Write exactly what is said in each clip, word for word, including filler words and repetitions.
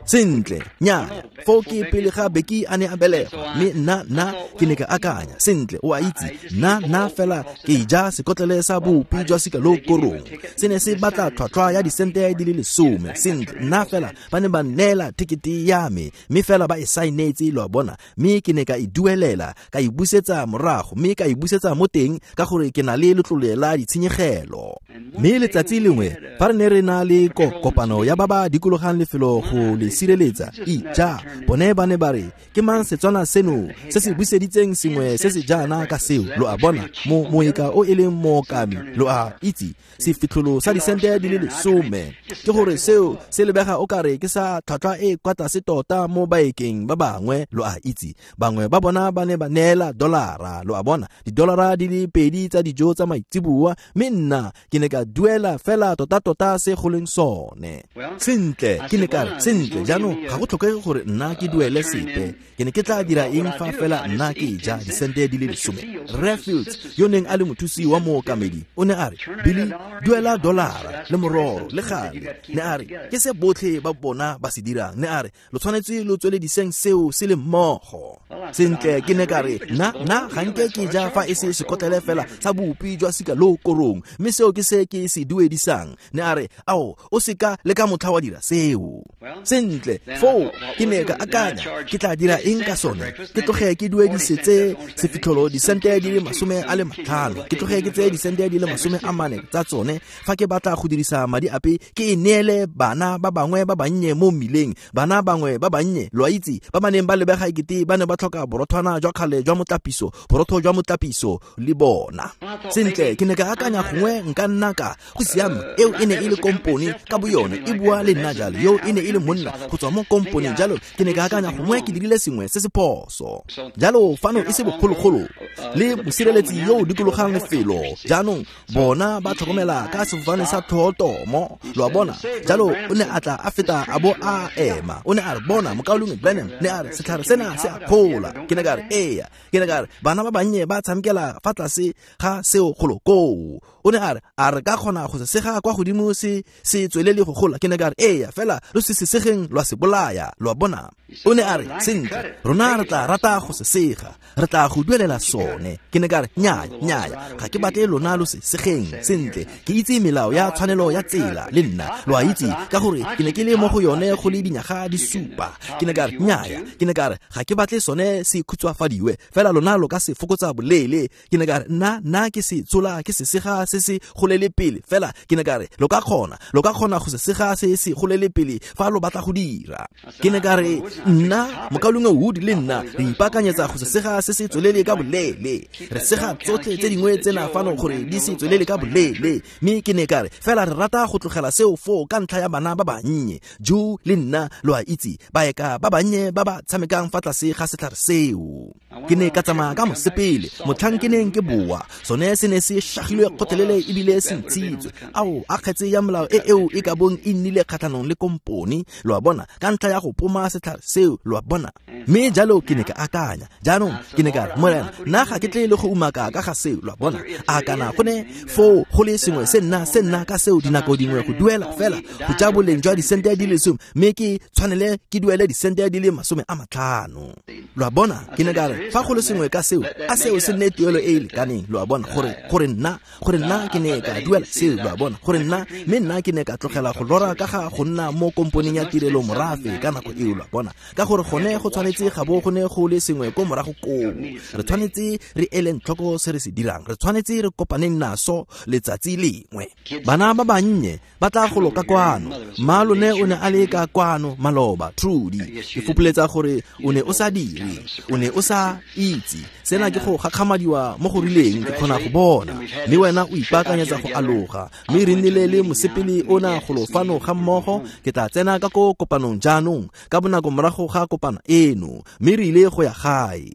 Sentle, nnyaya, foo ke pele ga Becky a ne a belegwa, mme nna nna ke ne ka akanya, sentle, o a itse, nna nna fela ke ja sekotlele sa bupi jwa sika lo korong. Se ne se batla tlhwatlhwa ya disente di le lesome. Sentle, nna fela ba ne ba nneela tekete ya me, mme fela ba e saenetse, lo a bona, mme ke ne ka e duelela, ka e busetsa morago, mme ka e busetsa mo teng ka gore ke na le letlole la ditshenyegelo. Mme letsatsi lengwe fa re ne re na le kopano ya ba ba dikologang lefelo go le sireletsa, ija, bone ba ne ba re, ke mang Setswana seno se se buseditseng sengwe se se jaana ka seo, lo a bona, mo moeka o e leng mookami, lo a itse, sefitlholo sa disente di le lesome. Ke gore seo se lebega o kare ke sa tlhwatlhwa e kwa tlase tota mo baekeng ba bangwe, lo a itse. Bangwe ba bona ba ne ba neela dolara, lo a bona, didolara di le pedi tsa dijo tsa maitseboa, mme nna ke ne ka duela fela tota-tota se go leng sone. Sentle, ke ne ka re, sentle, jaanong ga go tlhokege gore nna ke duele sepe. Ke ne ke tla dira eng fa fela nna ke ja disente di le lesome? Rre Fields, yo neng a le mothusi wa mookamedi, o ne a re, Billy, duela dolara le mororo le gale. Ne a re, ke se botlhe ba bona ba se dirang. Ne a re, lo tshwanetse lo tswelediseng seo se le mmogo. Sentle, ke ne ka re, nna nna ga nke ke ja fa e se sekotlele fela sa bupi jwa sika lo korong, mme seo ke se ke se duedisang. Ne a re, ao, o seka le ka motlha wa dira seo. Sentle, foo ke ne ka akanya, ke tla dira eng ka sone? Ke tloge ke duedisetse sefitlholo disente di le masome a le matlhano, ke tloge ke tseye disente di le masome a mane tsa tsone. Fa ke batla go dirisa madi ape, ke e neele bana ba bangwe ba bannye mo mmileng, bana bangwe ba bannye, lo a itse, ba ba neng ba lebega ekete ba ne ba tlhoka borothwana jwa kgale jwa motlapiso, borotho jwa motlapiso le bona. Sentle, ke ne ka akanya gongwe nka nna ka go siame, eo e ne e le kompone ka boyone e bua le nna jalo, yo e ne e le monna go tswa mo komponeng jalo, ke ne ka akanya gongwe ke dirile sengwe se se phoso. Jalo fano e se bogologolo le mosireletsi yo o dikologang lefelo, jaanong bona ba tlhokomela ka sefofane sa tlhotomo, lo a bona. Jalo o ne a tla a feta a bo a ema, o ne a re, bona mokaulengwe Branham, ne a re, setlhare sena se a gola. Ke ne ka re, eya. Ke ne ka re, bana ba bannye ba tshamekela fa tlase ga seo golo koo. O ne a re, a re ka kgona go se sega kwa godimo se se tswelele go gola? Ke ne ka re, eya, fela lo se se segeng lwa se bolaya, lo a bona. O ne a re, sentle, rona re tla rata go se sega, re tla go duelela sone. Ke ne ka re, nnyaya, nnyaya, ga ke batle lona lo se segeng. Sentle, ke itse melao ya tshwanelo ya tsela le nna, lo a itse, ka gore ke ne ke le mo go yone go le dinyaga di supa. Ke ne ka re, nnyaya, ke ne ka re, ga ke batle sone se khutshwafadiwe, fela lona lo ka se fokotsa boleele. Ke ne ka re, nna nna ke se tshola ke se sega se se golele pele, fela ke ne ka re, lo ka kgona, lo ka kgona go se sega se se golele pele fa lo batla go dira. Ke ne ka re, nna mokaulengwe Wood le nna re ipaakanyetsa go se sega se se tswelele ka boleele, re sega tsotlhe tse dingwe tsena fano gore di se tswelele ka boleele. Mme ke ne ka re, fela re rata go tlogela seo foo ka ntlha ya bana ba bannye, Joe le nna, lo a itse, baeka ba bannye ba ba tshamekang fa tlase ga setlhare seo. Ke ne ka tsamaya ka mosepele, motlhang ke neng ke boa, sone se ne se shagilwe kgotlelele ebile se ntshitswe. Ao, a kgetse ya molao e eo e ka bong e nnile kgatlhanong le kompone, lo a bona, ka ntlha ya go poma setlhare seo, lo a bona. Mme jalo ke ne ka akanya, jaanong ke ne ka re, Morena, nna ga ke tle le go umaka ka ga seo, lo a bona. A kana go ne foo go le sengwe se nna se nna ka seo dinako dingwe go duela fela go ja boleng jwa disente di le lesome, mme ke tshwanele ke duele disente di le masome a matlhano, lo a bona. Ke ne ka re, fa go le sengwe ka seo, a seo se nne tuelo e e lekaneng, lo a bona, gore gore nna gore nna ke ne ka duela seo, lo a bona, gore nna mme nna ke ne ka tlogela go lora ka ga go nna mo komponeng ya tirelo morafe ka nako eo, lo a bona, ka gore gone go tshwanetse ga bo go ne go le sengwe ko morago koo. Re tshwanetse re eleng tlhoko se re se dirang, re tshwanetse re kopaneng naso letsatsi lengwe. Bana ba bannye ba tla golo ka kwano, mma lone o ne a le ka kwano maloba, Trudy, ke fopoletsa gore o ne o sa dire, o ne o sa itse sena ke go gakgamadiwa mo go rileng, ke kgona go bona. Mme wena o ipaakanyetsa go aloga, mme re nnile le mosepele ona golo fano ga mmogo. Ke tla tsena ka ko kopanong jaanong ka bonako morago morago ga kopano eno, mme re ile go ya gae.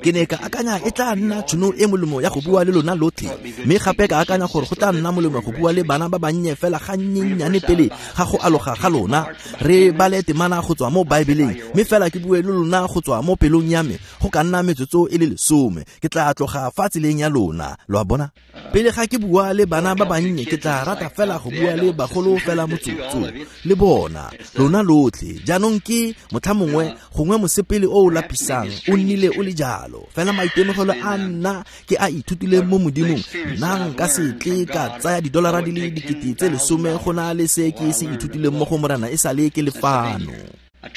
Ke ne ka akanya e tla nna tšhono e molemo ya go bua le lona lotlhe, mme gape ka akanya gore go tla nna molemo go bua le bana ba bannye fela gannyenyane pele ga go aloga ga lona. Re bale temana go tswa mo Baebeleng, mme fela ke bue le lona go tswa mo pelong ya me go ka nna metsotso e le lesome. Ke tla tloga fa tseleng ya lona, lo a bona. Pele ga ke bua le bana ba bannye, ke tla rata fela go bua le bagolo fela motsotso le bona, lona lotlhe. Jaanong ke motlhamongwe gongwe mosepele o o lapisang o nnile o le jalo, fela maitemogelo a nna ke a ithutileng mo Modimong, nna nka se tle ka tsaya didolara di le dikete tse lesome go na le se ke se ithutileng mo go Morena e sale ke le fano.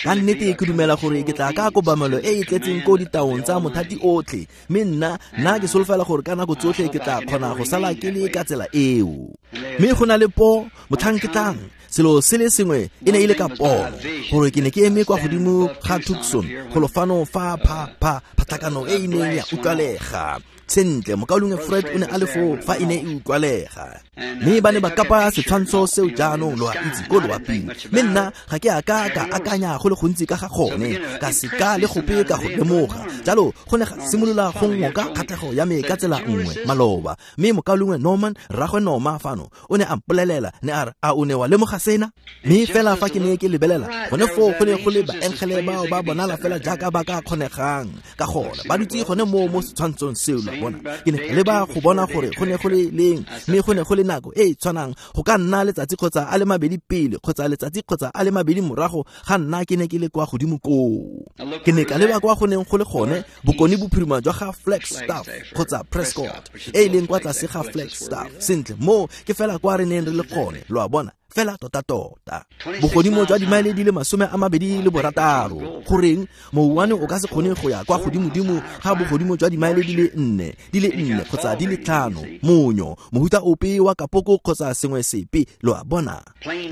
Ka nnete ke dumela gore ke tla ka kobamelo e e tletseng ko ditaong tsa mothati otlhe, mme nna nna ke solofela gore ka nako tsotlhe ke tla kgona go sala ke le ka tsela eo. Mme go na le po motlhang ke tlang, selo se le sengwe e ne e le ka pono, gore ke ne ke eme kwa godimo ga Tucson golo fano fa pha pha phatlhakano e e neng ya utlwalega. Sentle, mokaulengwe Fred o ne a le foo fa e ne e utlwalega, mme ba ne ba kapa setshwantsho seo jaanong lo a itse ko loaping. Mme nna ga ke a ka ka akanya go le gontsi ka ga gone, ka seka le gope ka go lemoga. Jalo go ne ga simolola go ngoka kgatlhego ya me ka tsela nngwe maloba. Mme mokaulengwe Norman, rraagwe Norma fano, o ne a mpolelela, ne a re, a o ne wa lemoga sena? Mme fela fa ke ne ke lebelela gone foo go ne go le baengele bao ba bonala fela jaaka ba ka kgonegang ka gona, ba dutse gone moo mo setshwantshong seo. Bona, ke ne ka leba go bona gore go ne go le leng, mme go ne go le nako e e tshwanang, go ka nna letsatsi kgotsa a le mabedi pele kgotsa letsatsi kgotsa a le mabedi morago ga nna ke ne ke le kwa godimo koo. Ke ne ka leba kwa go neng go le gone bokone bophirima jwa ga Flagstaff kgotsa Prescott, e e leng kwa tlase ga Flagstaff. Sentle, moo ke fela kwa re neng re le gone, lo a bona, fela tota-tota. Bogodimo jwa dimaele di le masome a mabedi le borataro. Goreng mouwane o ka se kgone go ya kwa godimodimo ga bogodimo jwa dimaele di le nne, di le nne kgotsa di le tlhano, monyo, mohuta ope wa kapoko kgotsa sengwe sepe, lo a bona.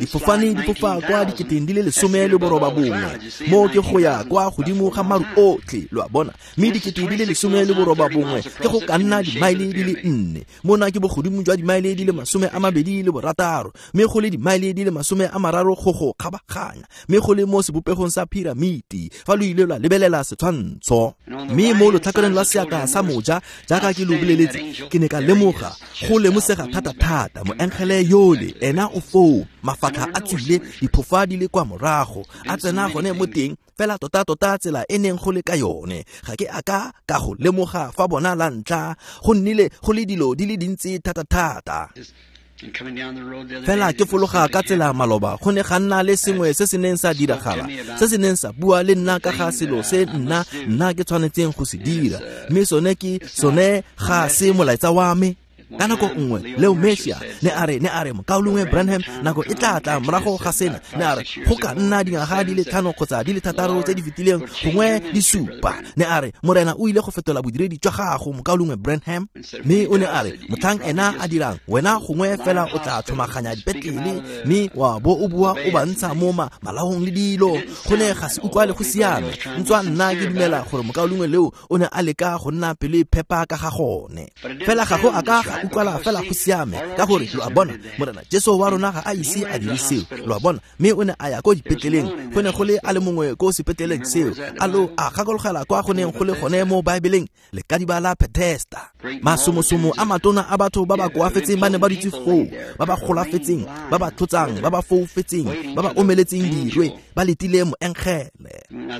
Difofane di fofa kwa diketeng di le lesome le boroba bongwe, mo ke go ya kwa godimo ga maru otlhe, lo a bona. Mme dikete di le lesome le boroba bongwe ke go ka nna dimaele di le nne, mona ke bogodimo jwa dimaele di le masome a mabedi le borataro, mme go le dimaele di le masome a mararo go go kgabaganya, mme go le mo sebopegong sa piramiti fa lo ile lwa lebelela setshwantsho. Mme mo lotlhakoreng lwa seatla sa moja, jaaka ke lo boleletse, ke ne ka lemoga go lemosega thata-thata moengele yole ena o foo, mafatlha a tswile, diphofa di le kwa morago, a tsena gone mo teng fela tota-tota tsela e neng go le ka yone. Ga ke a ka ka go lemoga fa bona la ntlha, go nnile go le dilo di le dintsi thata-thata. Fela ke fologa ka tsela maloba, go ne ga nna le sengwe se se neng sa diragala, se se neng sa bua le nna ka ga selo se nna nna ke tshwanetseng go se dira, mme sone ke sone ga se molaetsa wa me. Ka nako nngwe Leo Mercier ne a re, ne a re mokaulengwe Branham, nako e tla tla morago ga sena, ne a re go ka nna dingwaga di le tlhano kgotsa di le thataro tse di fetileng, gongwe di supa, ne a re Morena o ile go fetola bodiredi jwa gago, mokaulengwe Branham. Mme o ne a re motlhang ena a dirang, wena gongwe fela o tla tlhomaganya dipetlele mme wa bo o bua o ba ntsha mo malaong le dilo. Go ne ga se utlwale go siame, ntswa nna ke dumela gore mokaulengwe Leo o ne a leka go nna pelo e phepa ka ga gone, fela ga go a ka ga utlwala fela go siame, ka gore lo a bona Morena Jesu wa rona ga a ise a dire seo, lo a bona. Mme o ne a ya ko dipetleleng, go ne go le a le mongwe ko sepetleleng seo, a lo a gakologela kwa go neng go le gone mo Baebeleng, lekadiba la Bethesda. Masomosomo a matona a batho ba ba koafetseng ba ne ba dutse foo, ba ba golafetseng, ba ba tlotsang, ba ba foufetseng, ba ba omeletseng dirwe, ba letile moengele.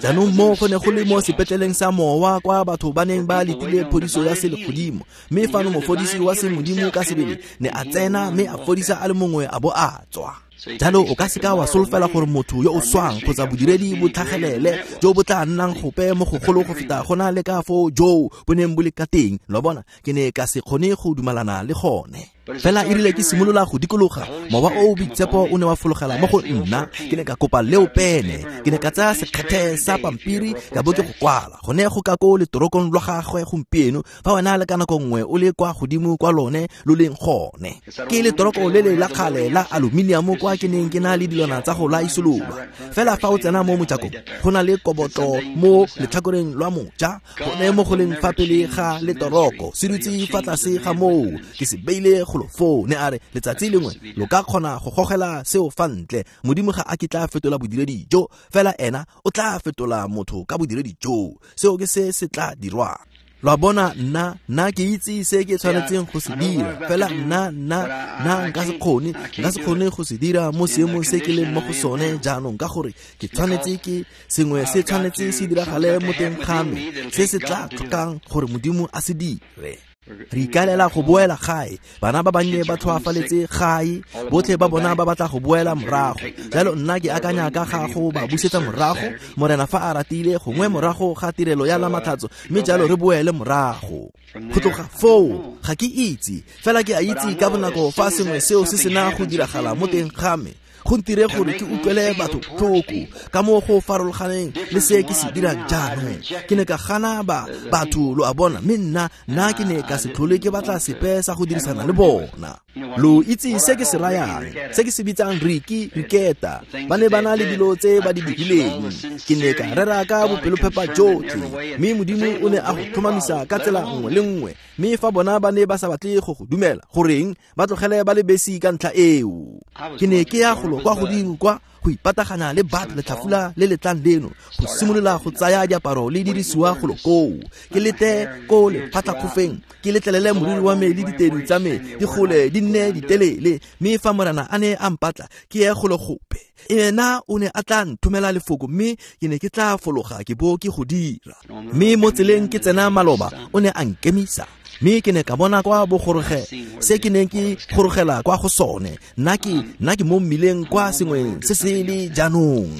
Jaanong mo go ne go le mo sepetleleng sa mowa kwa batho ba neng ba letile phodiso ya selegodimo, mme fano mofodisi wa semodimo ka sebele ne a tsena mme a fodisa a le mongwe a bo a tswa. Jalo o ka seka wa solofela gore motho yo o swang kgotsa bodiredi bo tlhagelele jo bo tla nnang gope mo gogolo go feta go na le ka foo joo bo neng bo le ka teng, lo bona. Ke ne ka se kgone go dumalana le gone. Fela e rile ke simolola go dikologa, mowa o o boitshepo o ne wa fologela mo go nna. Ke ne ka kopa leo pene, ke ne ka tsaya sekgethe sa pampiri ka bo ke go kwala gone go ka ko letorokong lwa gagwe gompieno, fa wena le ka nako nngwe o le kwa godimo kwa lone lo leng gone. Ke letoroko le le la kgale la aluminium kwa ke neng ke na le dilwana tsa go laisolola. Fela fa o tsena mo mojakong, go na le kobotlo mo letlhakoreng lwa moja, gone mo go leng fa pele ga letoroko, se dutse fa tlase ga moo, ke se beile go golo foo. Ne a re letsatsi lengwe lo ka kgona go gogela seo fa ntle. Modimo ga a kitla fetola bodiredi jo, fela ena o tla fetola motho ka bodiredi jo. Seo ke se se tla dirwang. Lo a bona, nna nna ke itse se ke tshwanetseng go se dira, fela nna nna nna nka se kgone nka se kgone go se dira mo seemong se ke leng mo go sone jaanong, ka gore ke tshwanetse ke sengwe se tshwanetse se diragale mo teng ga me se se tla tlhokang gore Modimo a se dire. Re ikaelela go boela gae. Bana ba bannye ba tlhoafaletse gae, botlhe ba bona ba batla go boela morago. Jalo nna ke akanya ka ga go ba busetsa morago, Morena fa a ratile, gongwe morago ga tirelo ya Lamatlhatso, mme jalo re boele morago. Go tloga foo ga ke itse, fela ke a itse ka bonako fa sengwe seo se sena go diragala mo teng ga me, go ntire gore ke utlwele batho tlhoko ka mo go farologaneng le se ke se dirang jaanong. Ke ne ka gana ba batho, lo a bona, mme nna nna ke ne ka se tlhole ke batla sepe sa go dirisana le bona. Lo itse se ke se rayang, se ke se bitsang Riki Riketa. Ba ne ba na le dilo tse ba di dirileng. Ke ne ka rera ka bopelophepa jotlhe, mme Modimo o ne a go tlhomamisa ka tsela nngwe le nngwe. Mme fa bona ba ne ba sa batle go go dumela, goreng ba tlogele ba le besi ka ntlha eo. Ke ne ke ya golo kwa godimo kwa go ipatagana le bat letlhafula le letlang leno, go simolola go tsaya diaparo le dirisiwa golo koo. Ke lete ko lephatlakgofeng, ke letlelele moriri wa me le ditedu tsa me di gole di nne ditelele. Mme fa Morena a ne a mpatla ke ye golo gope, ena o ne a tla nthomela lefoko, mme ke ne ke tla fologa ke bo ke go dira. Mme mo tseleng ke tsena maloba, o ne a nkemisa, mme ke ne ka bona kwa bogoroge se ke neng ke gorogela kwa go sone. Nna ke nna ke mo mmileng kwa sengweng se se le jaanong.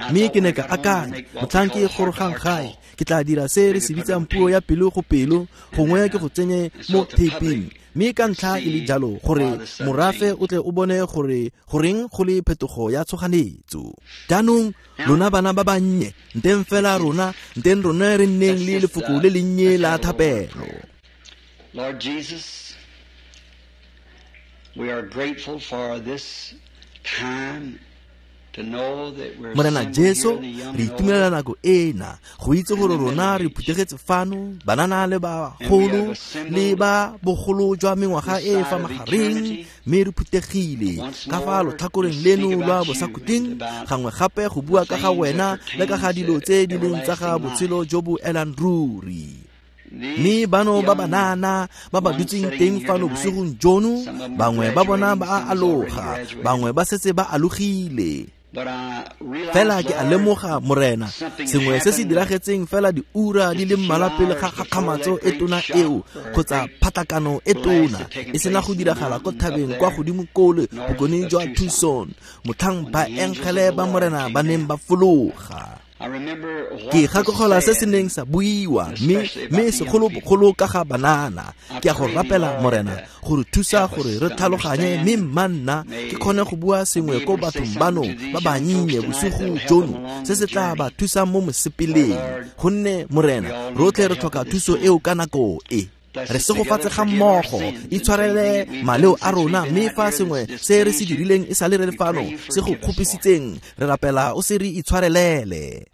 Mme ke ne ka akanya, motlhang ke gorogang gae, ke tla dira se re se bitsang puo ya pelo go pelo, gongwe ke go tsenye mo taping. Mme ka ntlha e le jalo gore morafe o tle o bone gore goreng go le phetogo ya tshoganetso. Jaanong lona bana ba bannye, nteng fela rona, nteng rona re nneng le lefoko le lennye la thapelo. Lord Jesus, we are grateful for this time to know that we're Morena assembled Jesu, here in the young re and itumelela old, nako ena go itse gore rona re phuthegetse fano, banana le bagolo le ba bogolo jwa mengwaga e fa magareng, mme re phuthegile ka fa lotlhakoreng leno lwa bosakhutleng, gangwe gape go bua ka ga wena le ka ga dilo tse di leng tsa ga botshelo jo bo elang ruri. Mme bano ba banana ba ba dutseng teng fano bosigong jono, bangwe ba bona ba a aloga, bangwe ba setse ba alogile. Fela ke a lemoga, Morena, sengwe se se diragetseng fela diura di le mmalwa pele ga kgakgamatso e tona eo kgotsa phatlakano e tona e sena go diragala ko thabeng kwa godimo kole bokone jwa Tucson, motlhang baengele ba Morena ba neng ba fologa. Ke gakologelwa se se neng sa buiwa, mme mme segolobogolo ka ga banana. Ke a go rapela, Morena, gore thusa gore re tlhaloganye, mme mma nna ke kgone go bua sengwe ko bathong bano ba bannye bosigo jono se se tla ba thusang mo mosepeleng. Gonne Morena, rotlhe re tlhoka thuso eo ka nako e. Re segofatse ga mmogo, itshwarele maleo a rona, mme fa sengwe se re se dirileng e sa le re le fano se go kgopisitseng, re rapela o se re itshwarelele.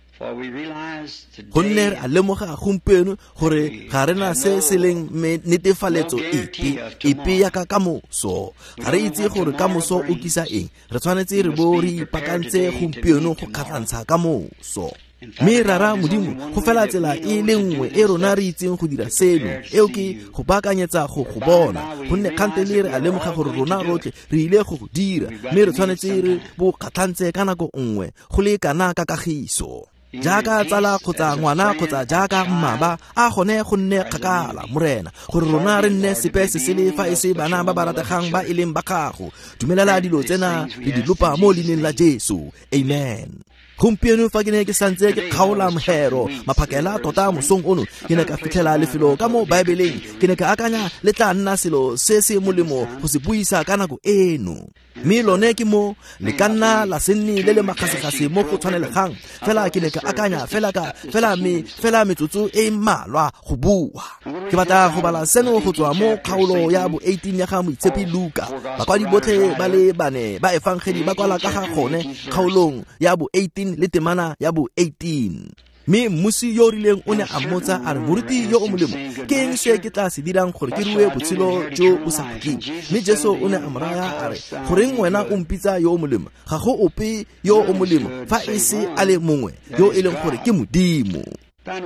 Gonne re a lemoga gompieno gore ga rena se se leng netefaletso epe epe ya ka kamoso. Ga re itse gore kamoso o kisa eng, re tshwanetse re bo re ipaakantse gompieno go kgatlhantsha kamoso. Mme rara Modimo, go fela tsela e le nngwe e rona re itseng go dira seno, eo ke go baakanyetsa go go bona. Gonne kgantele re a lemoga gore rona rotlhe re ile go go dira, mme re tshwanetse re bo kgatlhantse ka nako nngwe go le kana ka kagiso. Jaaka tsala kgotsa ngwana kgotsa jaaka mmaba, a gone go nne kgakala, Morena, gore rona re nne sepe se sele fa e se bana ba ba rategang ba e leng ba gago. Dumelela dilo tsena re di lopa mo leineng la Jesu. Amen. Gompieno fa ke ne ke santse ke kgaola mohero maphakela tota mosong ono, ke ne ka fitlhela lefelo ka mo Baebeleng. Ke ne ka akanya le tla nna selo se se molemo go se buisa ka nako eno. Mme lone ke mo le ka nna la se nne le le makgasekgase mo go tshwanelegang, fela ke ne ka akanya fela ka fela me fela metsotso e mmalwa go bua. Ke batla go bala seno go tswa mo kgaolo ya bo eighteen ya ga Moitshepi Luka. Bakwadi botlhe ba le bane ba efangedi ba kwala ka ga gone kgaolong ya bo eighteen le temana ya bo eighteen. Mme mmusi yo o rileng o ne a mmotsa a re, moruti yo o molemo, ke eng se ke tla se dirang gore ke rue botshelo jo bo sa khutleng? Mme Jesu o ne a mo raya a re, goreng wena o mpitsa yo o molemo? Ga go ope yo o molemo fa e se a le mongwe yo e leng gore ke Modimo.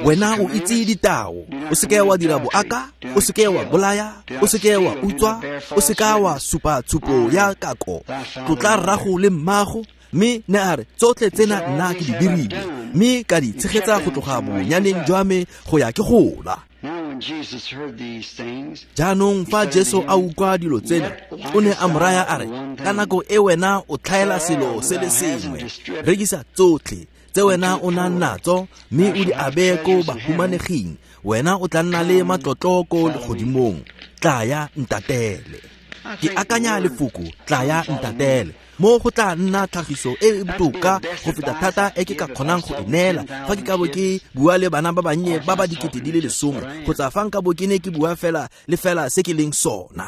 Wena o itse ditao, o seke wa dira boaka, o seke wa bolaya, o seke wa utswa, o seka wa supa tshupo ya kako, tlotla rrago le mmago. Mme ne a re, tsotlhe tsena nna ke di dirile, mme ka di tshegetsa go tloga bonyaneng jwa me go ya ke gola. Jaanong fa Jesu a utlwa dilo tsena, o ne a mo raya a re, ka nako e wena o tlhaela selo se le sengwe, rekisa tsotlhe tse wena o nang natso mme o di abe ko bahumaneging, wena o tla nna le matlotlo ko legodimong. Tlaya ntatele. Ke akanya lefoko tlaya ntatele mo go tla nna tlhagiso e e botoka go feta thata e ke ka kgonang go e neela fa ke ka bo ke bua le bana ba bannye ba ba dikete di le lesome, kgotsa fa nka bo ke ne ke bua fela le fela se ke leng sona.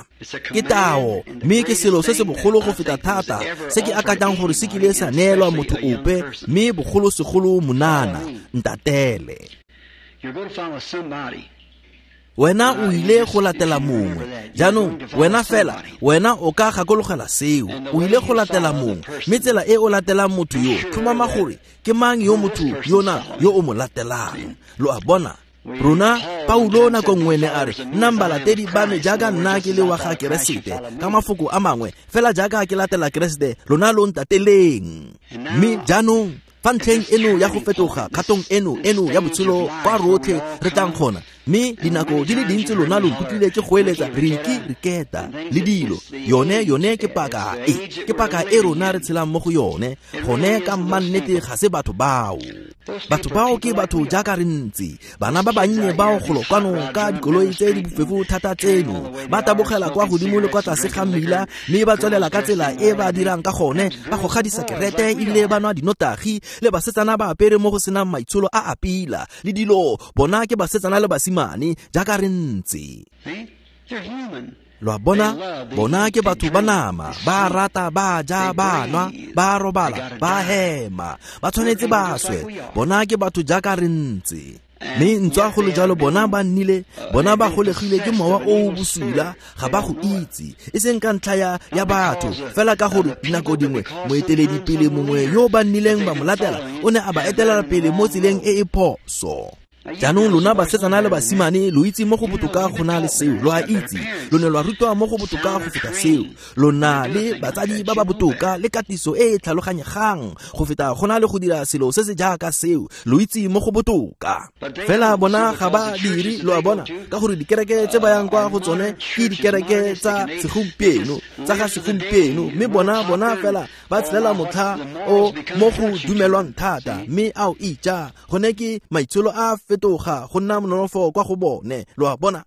Ke tao, mme ke selo se se bogolo go feta thata se ke akanyang gore se kile sa neelwa motho ope, mme bogolosegolo monana, ntatele. Wena o ile go latela mongwe. Jaanong wena fela, wena o ka gakologela seo, o ile go latela mongwe, mme tsela e o latelang motho yo, tlhomama gore ke mang yo motho yona yo o mo latelang. Lo a bona? Rona Paulo nako nngwe ne a re, nnang balatedi ba me jaaka nna ke le wa ga Keresete. Ka mafoko a mangwe, fela jaaka ke latela Keresete, lona lo ntateleng. Mme jaanong fa ntlheng eno ya go fetoga, kgatong eno eno ya botshelo kwa rotlhe re tlang gona, mme dinako di le dintsi lona lo nkutlwile ke goeletsa riki riketa le dilo, yone yone ke paka e, ke paka e rona re tshelang mo go yone. Gone ka mmannete ga se batho bao. Batho bao ke batho jaaka re ntse, bana ba bannye bao golo kwano ka dikoloi tse di bofefo thata tseno, ba tabogela kwa godimo le kwa tlase ga mmila, mme ba tswelela ka tsela e ba dirang ka gone, ba goga disekerete ebile ba nwa dinotagi, le basetsana ba apere mo go senang maitsholo a a pila le dilo. Bona ke basetsana le basimane jaaka re ntse. Lo a bona? Bona ke batho ba nama, ba rata, ba ja, ba nwa, ba robala, ba hema, ba tshwanetse ba swe. Bona ke batho jaaka re ntse. Mme ntswa go le jalo bona ba nnile, bona ba golegile ke mowa o o bosula, ga ba go itse, e seng ka ntlha ya, ya batho, fela ka gore dinako dingwe moeteledipele mongwe yo ba nnileng ba mo latela o ne a ba etelela pele mo tseleng e e phoso. Jaanong lona basetsana le basimane lo itse mo go botoka go na le seo, lo a itse, lo ne lwa rutwa mo go botoka go feta seo, lo na le batsadi ba ba botoka le katiso e e tlhaloganyegang go feta go na le go dira selo se se jaaka seo, lo itse mo go botoka. Fela bona ga ba dire, lo a bona, ka gore dikereke tse ba yang kwa go tsone ke dikereke tsa segompieno, tsa ga segompieno, mme bona bona fela ba tshelela motlha o mo go dumelwang thata, mme ao ija gone ke maitsholo a fetoga go nna nonofo kwa go bone, lo a bona.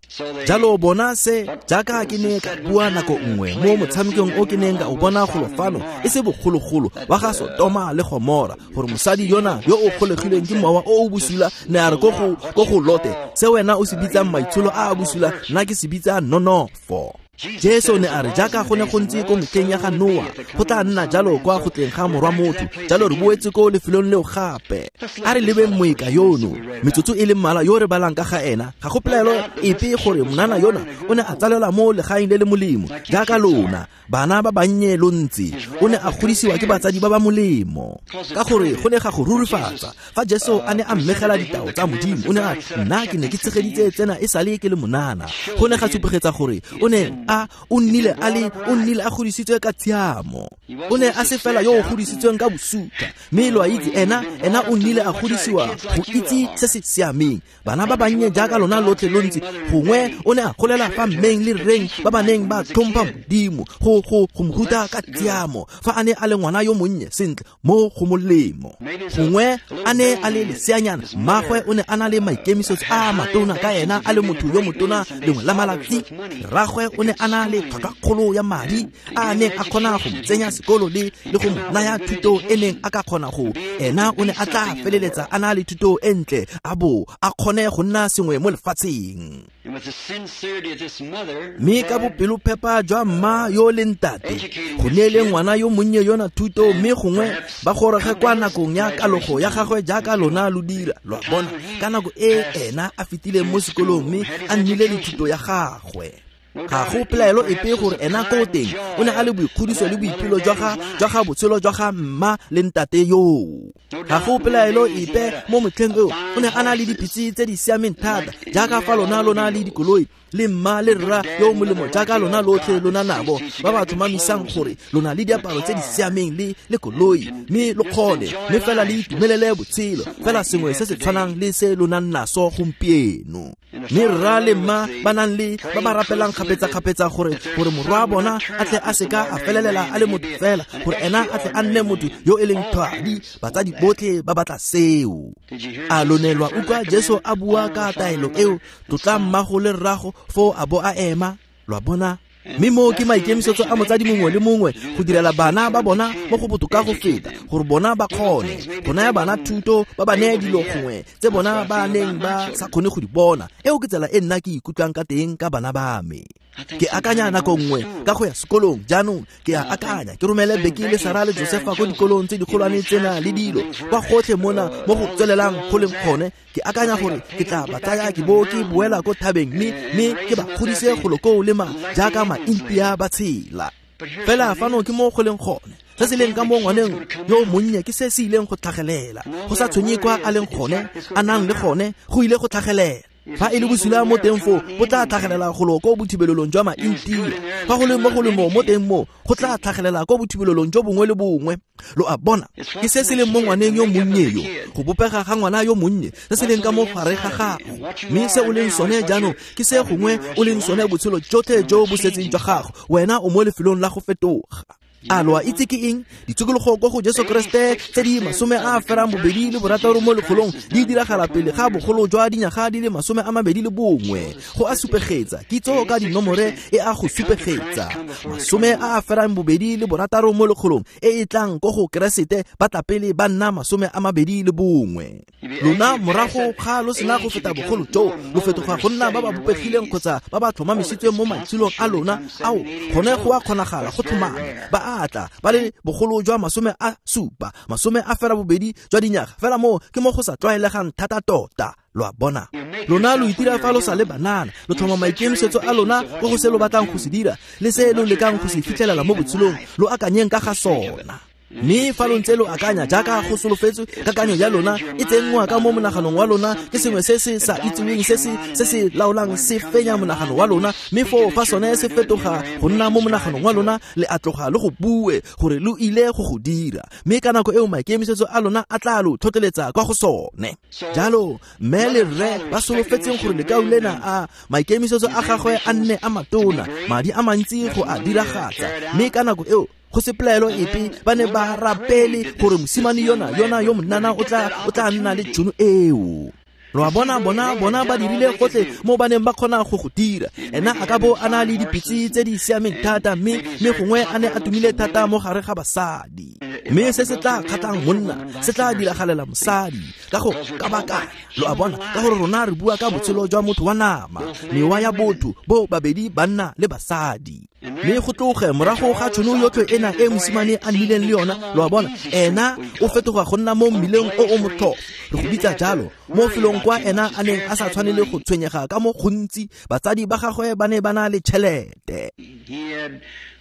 Jalo bona se jaaka ke ne ka bua nako nngwe mo motshamekong o ke neng ka o bona golo fano e se bogologolo wa ga Sotoma le Gomora, gore mosadi yona yo o golegilweng ke mowa o o bosula ne a re ko go ko go Lote, se wena o se bitsang maitsholo a a bosula, nna ke se bitsa nonofo. Jesu ne a re jaaka go ne go ntse ko metlheng ya ga Noa, go tla nna jalo kwa go tleng ga morwa motho. Jalo re boetse ko lefelong leo gape. A re lebeng moeka yono, metsotso e le mmalwa yo re balang ka ga ena. Ga go pelaelo epe gore monana yona o ne a tsalelwa mo legaeng le le molemo jaaka lona bana ba bannye lo ntse. O ne a godisiwa ke batsadi ba ba molemo, ka gore go ne ga go rurifatsa fa Jesu a ne a mmegela ditao tsa Modimo. O ne a nna ke ne ke tshegeditse tsena e sale ke le monana. Go ne ga supegetsa gore o ne a o nnile a le o nnile a godisitswe ka tshiamo. O ne a se fela yo o godisitsweng ka bosuta, mme lo a itse ena ena o nnile a godisiwa go itse se se siameng. Bana ba bannye jaaka lona lotlhe lo ntse, gongwe o ne a golela fa mmeng le rreng ba ba neng ba tlhompha Modimo go go go mo ruta ka tshiamo fa a ne a le ngwana yo monnye sentle mo go molemo. Gongwe a ne a le leseanyana, mmagwe o ne a na le maikemisetso a matona ka ena a le motho yo motona lengwe la malatsi. Rragwe o ne ne a na le tlhwatlhwakgolo ya madi a a neng a kgona go mo tsenya sekolo le le go mo naya thuto e neng a ka kgona go ena o ne a tla feleletsa a na le thuto e ntle a bo a kgone go nna sengwe mo lefatsheng. Mme ka bopelophepa jwa mma yo le ntate go neele ngwana yo monnye yona thuto mme gongwe ba goroge kwa nakong ya kalogo ya gagwe jaaka lona lo dira. Lo a bona, ka nako e ena a fetileng mo sekolong mme a nnile le thuto ya gagwe. Ga go pelaelo epe gore ena ko teng o ne a le boikgodiso le boipelo jwa ga jwa ga botshelo jwa ga mma le ntate yoo. Ga go pelaelo epe mo motlheng eo o ne a na le dipitse tse di siameng thata jaaka fa lona lona le dikoloi le mma le rra yo molemo jaaka lona lotlhe lona nabo ba ba tlhomamisang gore lona le diaparo tse di siameng le le koloi mme lo kgone mme fela le itumelele botshelo fela sengwe se se tshwanang le se lo nang naso gompieno. Mme rra le mma ba nang le ba ba rapelang kgapetsa-kgapetsa gore gore morwa bona a tle a seka a felelela a le motho fela gore ena a tle a nne motho yo e leng thwadi. Batsadi botlhe ba batla seo. A lo ne lwa utlwa Jesu a bua ka taelo eo, tlotla mmago le rrago foo a bo a ema. Lo a bona? Mme moo ke maikemisetso a motsadi mongwe le mongwe go direla bana ba bona mo go botoka go feta gore bona ba kgone go naya bana thuto, ba ba neye dilo gongwe tse bona ba neng ba sa kgone go di bona. Eo ke tsela e nna ke ikutlwang ka teng ka bana ba me. Ke akanya nako nngwe ka go ya sekolong jaanong ke a akanya ke romele Beki le Sara le Josefa ko dikolong tse dikgolwane tsena le dilo kwa gotlhe mona mo go tswelelang go leng gone. Ke akanya gore ke tla ba tsaya ke bo ke boela ko thabeng mme mme ke ba kgodise golo koo le ma jaaka ma-India ba tshela. Fela fano ke mo go leng gone. Se se leng ka mo ngwaneng yo monnye ke se se ileng go tlhagelela. Go sa tshwenye kwa a leng gone, a nang le gone, go ile go tlhagelela. Fa e le bosula mo teng foo, bo tla tlhagelela golo ko bothibelelong jwa ma-India. Fa go le mo go le mo mo teng mo, go tla tlhagelela ko bothibelelong jo bongwe le bongwe. Lo a bona, ke se se leng mo ngwaneng yo monnye yo, go bopega ga ngwana yo monnye, se se leng ka mo gare ga gago. Mme se o leng sone jaanong ke se gongwe o leng sone botshelo jotlhe jo bo setseng jwa gago. Wena o mo lefelong la go fetoga. A lo a itse ke eng? Ditshokologo ko go Jesu Kreste tse di masome a ferang bobedi le borataro mo lekgolong di diragala pele ga bogolo jwa dinyaga di le masome a mabedi le bongwe. Go a supegetsa, kitso ka dinomore e a go supegetsa. Masome a ferang bobedi le borataro mo lekgolong e e tlang ko go Keresete ba tla pele ba nna masome a mabedi le bongwe. Lona morago ga lo sena go feta bogolo jo, lo fetoga go nna ba ba bopegileng kgotsa ba ba tlhomamisitsweng mo maitsholong a lona ao gone go a kgonagala go tlhomame ba atla ba le bogolo jwa masome a supa masome a fela bobedi jwa dinyaga fela mo ke mo go sa tlwaelegang thata tota. Lo a bona, lona lo itira fa lo sa le banana, lo tlhoma maikemisetso a lona ko go se lo batlang go se dira le se lo lekang go se fitlhelela mo botshelong, lo akanyeng ka ga sona. Mme fa lo ntse lo akanya jaaka go solofetswe, kakanyo ya lona e tsenngwa ka mo monaganong wa lona ke sengwe se se sa itseweng se se se se laolang se fenya monagano wa lona. Mme foo fa sone se fetoga go nna mo monaganong wa lona, le a tloga le go bue gore lo ile go go dira. Mme ka nako eo maikemisetso a lona a tla lo tlhotlheletsa kwa go sone. Jalo mme le rre ba solofetseng gore lekau lena a maikemisetso a gagwe a nne a matona, madi a mantsi go a diragatsa. Mme ka nako eo go se pelaelo epe ba ne ba rapele gore mosimane yona yona yo monana o tla o tla nna le tšhono eo. Lo a bona, bona bona ba dirile gotlhe mo ba neng ba kgona go go dira. Ena a ka bo a na le dipitse tse di siameng thata mme mme gongwe a ne a tumile thata mo gare ga basadi. Mme se se tla kgatlhang monna se tla diragalela mosadi ka go kabakanya. Lo a bona, ka gore rona re bua ka botshelo jwa motho wa nama, mewa ya botho bo babedi banna le basadi. Mme go tloge morago ga tšhono yotlhe ena e mosimane a nnileng le yona, lo a bona, ena o fetoga go nna mo mmileng o o motlhofo, re go bitsa jalo, mo felong kwa ena a neng a sa tshwanele go tshwenyega ka mo gontsi. Batsadi ba gagwe ba ne ba na le tšhelete.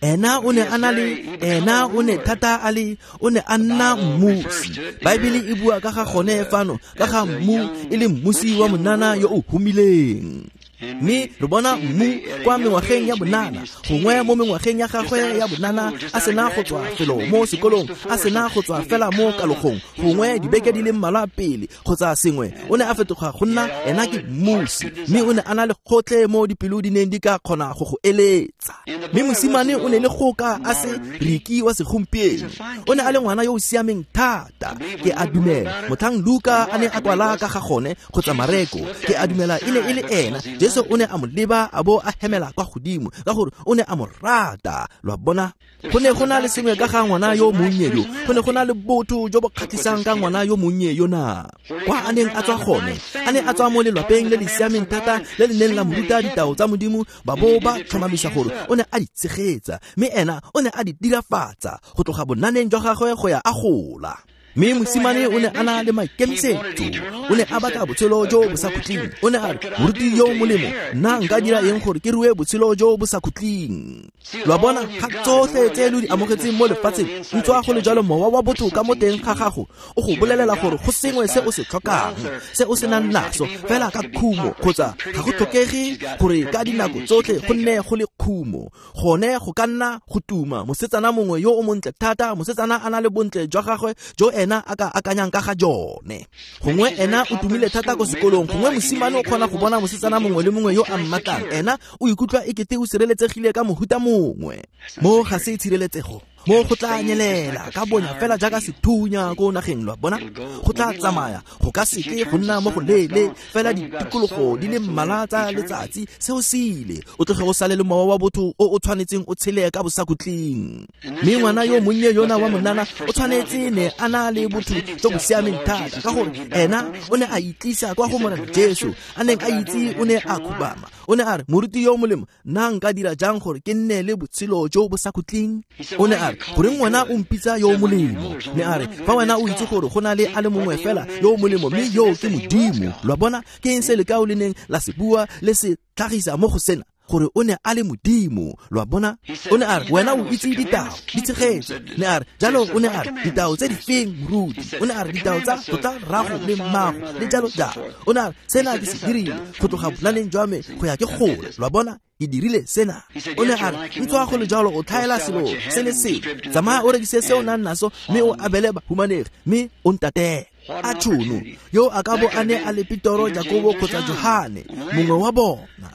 Ena o ne a na le ena o ne thata a le o ne a nna mmusi. Baebele e bua ka ga gone fano ka ga mmu e le mmusi wa monana yo o humileng. Mme re bona mmu kwa mengwageng ya bonana, gongwe mo mengwageng ya gagwe ya bonana a sena go tswa felo mo sekolong, a sena go tswa fela mo kalogong, gongwe dibeke di le mmalwa pele kgotsa sengwe, o ne a fetoga go nna ena ke mmusi. Mme o ne a na le gotlhe mo dipelo di neng di ka kgona go go eletsa. Mme mosimane o ne le goka a se Riki wa segompieno. O ne a le ngwana yo o siameng thata. Ke a dumela motlhang Luka a ne a kwala ka ga gone kgotsa Mareko, ke a dumela e ne e le ena Jesu Jesu o ne a mo leba a bo a hemela kwa godimo ka gore o ne a mo rata. Lo a bona, go ne go na le sengwe ka ga ngwana yo monnye yo, go ne go na le botho jo bo kgatlhisang ka ngwana yo monnye yona. Kwa a neng a tswa gone, a ne a tswa mo lelwapeng le le siameng thata le le neng la mo ruta ditao tsa Modimo, ba bo ba tlhomamisa gore o ne a di tshegetsa, mme ena o ne a di dirafatsa go tloga bonaneng jwa gagwe go ya a gola. Mme mosimane o ne a na le maikemisetso, o ne a batla botshelo jo bo sa khutleng. O ne a re, moruti yo molemo, nna nka dira eng gore ke rue botshelo jo bo sa khutleng? Lo a bona, ga tsotlhe tse lo di amogetseng mo lefatsheng, ntswa go le jalo mowa wa botho ka mo teng ga gago o go bolelela gore go sengwe se o se tlhokang, se o senang naso, fela ka khumo, kgotsa ga go tlhokege gore ka dinako tsotlhe go nne go le khumo. Gone go ka nna go tuma mosetsana mongwe yo o montle thata, mosetsana a na le bontle jwa gagwe jo ena a ka akanyang ka ga jone. Gongwe ena o tumile thata ko sekolong, gongwe mosimane o kgona go bona mosetsana mongwe le mongwe yo a mmatlang, ena o ikutlwa ekete o sireletsegile ka mohuta mongwe. Mo ga se tshireletsego, mo go tla nyelela ka bonya fela jaaka sethunya ko nageng. Lo a bona, go tla tsamaya, go ka seke go nna mo go leele fela ditikologo di le mmalwa tsa letsatsi, seo se ile. O tloge o sale le mowa wa botho o o tshwanetseng o tshele ka bosakhutleng. Mme ngwana yo monnye yona wa monana o tshwanetse ne a na le botho jo bo siameng thata, ka gore ena o ne a itlisa kwa go Morena Jesu a neng a itse o ne a khubama. O ne a re, moruti yo molemo, nna nka dira jang gore ke nne le botshelo jo bo sa khutleng? O ne a re, goreng wena o mpitsa yo molemo? Ne a re, fa wena o itse gore go na le a le mongwe fela yo molemo, mme yo ke Modimo. Lo a bona, ke eng se lekao le neng la se bua le se tlhagisa mo go sena, gore o ne a le Modimo. Lo a bona, o ne a re, wena o itse ditao di tshegetse. Ne a re, jalo o ne a re, ditao tse di feng, moruti? O ne a re, ditao tsa tlotla rrago le mmago le jalo jalo. O ne a re, sena ke se dirile go tloga bonaneng jwa me go ya ke gola. Lo a bona, ke dirile sena. O ne a re, ntswa go le jalo o tlhaela selo se le sengwe, tsamaya o rekise se o nang naso mme o abele bahumanegi, mme o ntatele. A tšhono yo a ka bo a ne a le Petoro, Jakobo kgotsa Johane, mongwe wa bona.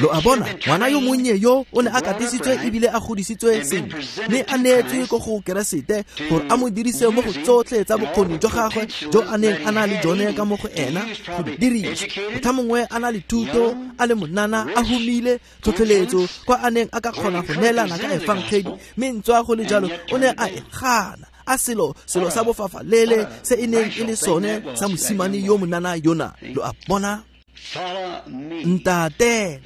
Lo a bona, ngwana yo monnye yo o ne a katisitswe ebile a godisitswe sentle, mme a neetswe ko go Keresete gore a mo dirise mo go tsotlhe tsa bokgoni jwa gagwe jo a neng a na le jone ka mo go ena go di dirisa. Motlha mongwe a na le thuto, a le monana, a humile tlhotlheletso kwa a neng a ka kgona go neelana ka efangedi, mme ntswa go le jalo o ne a e gana. A selo selo sa bofafalele se e neng e le sone sa mosimane yo monana yona. Lo a bona, ntate.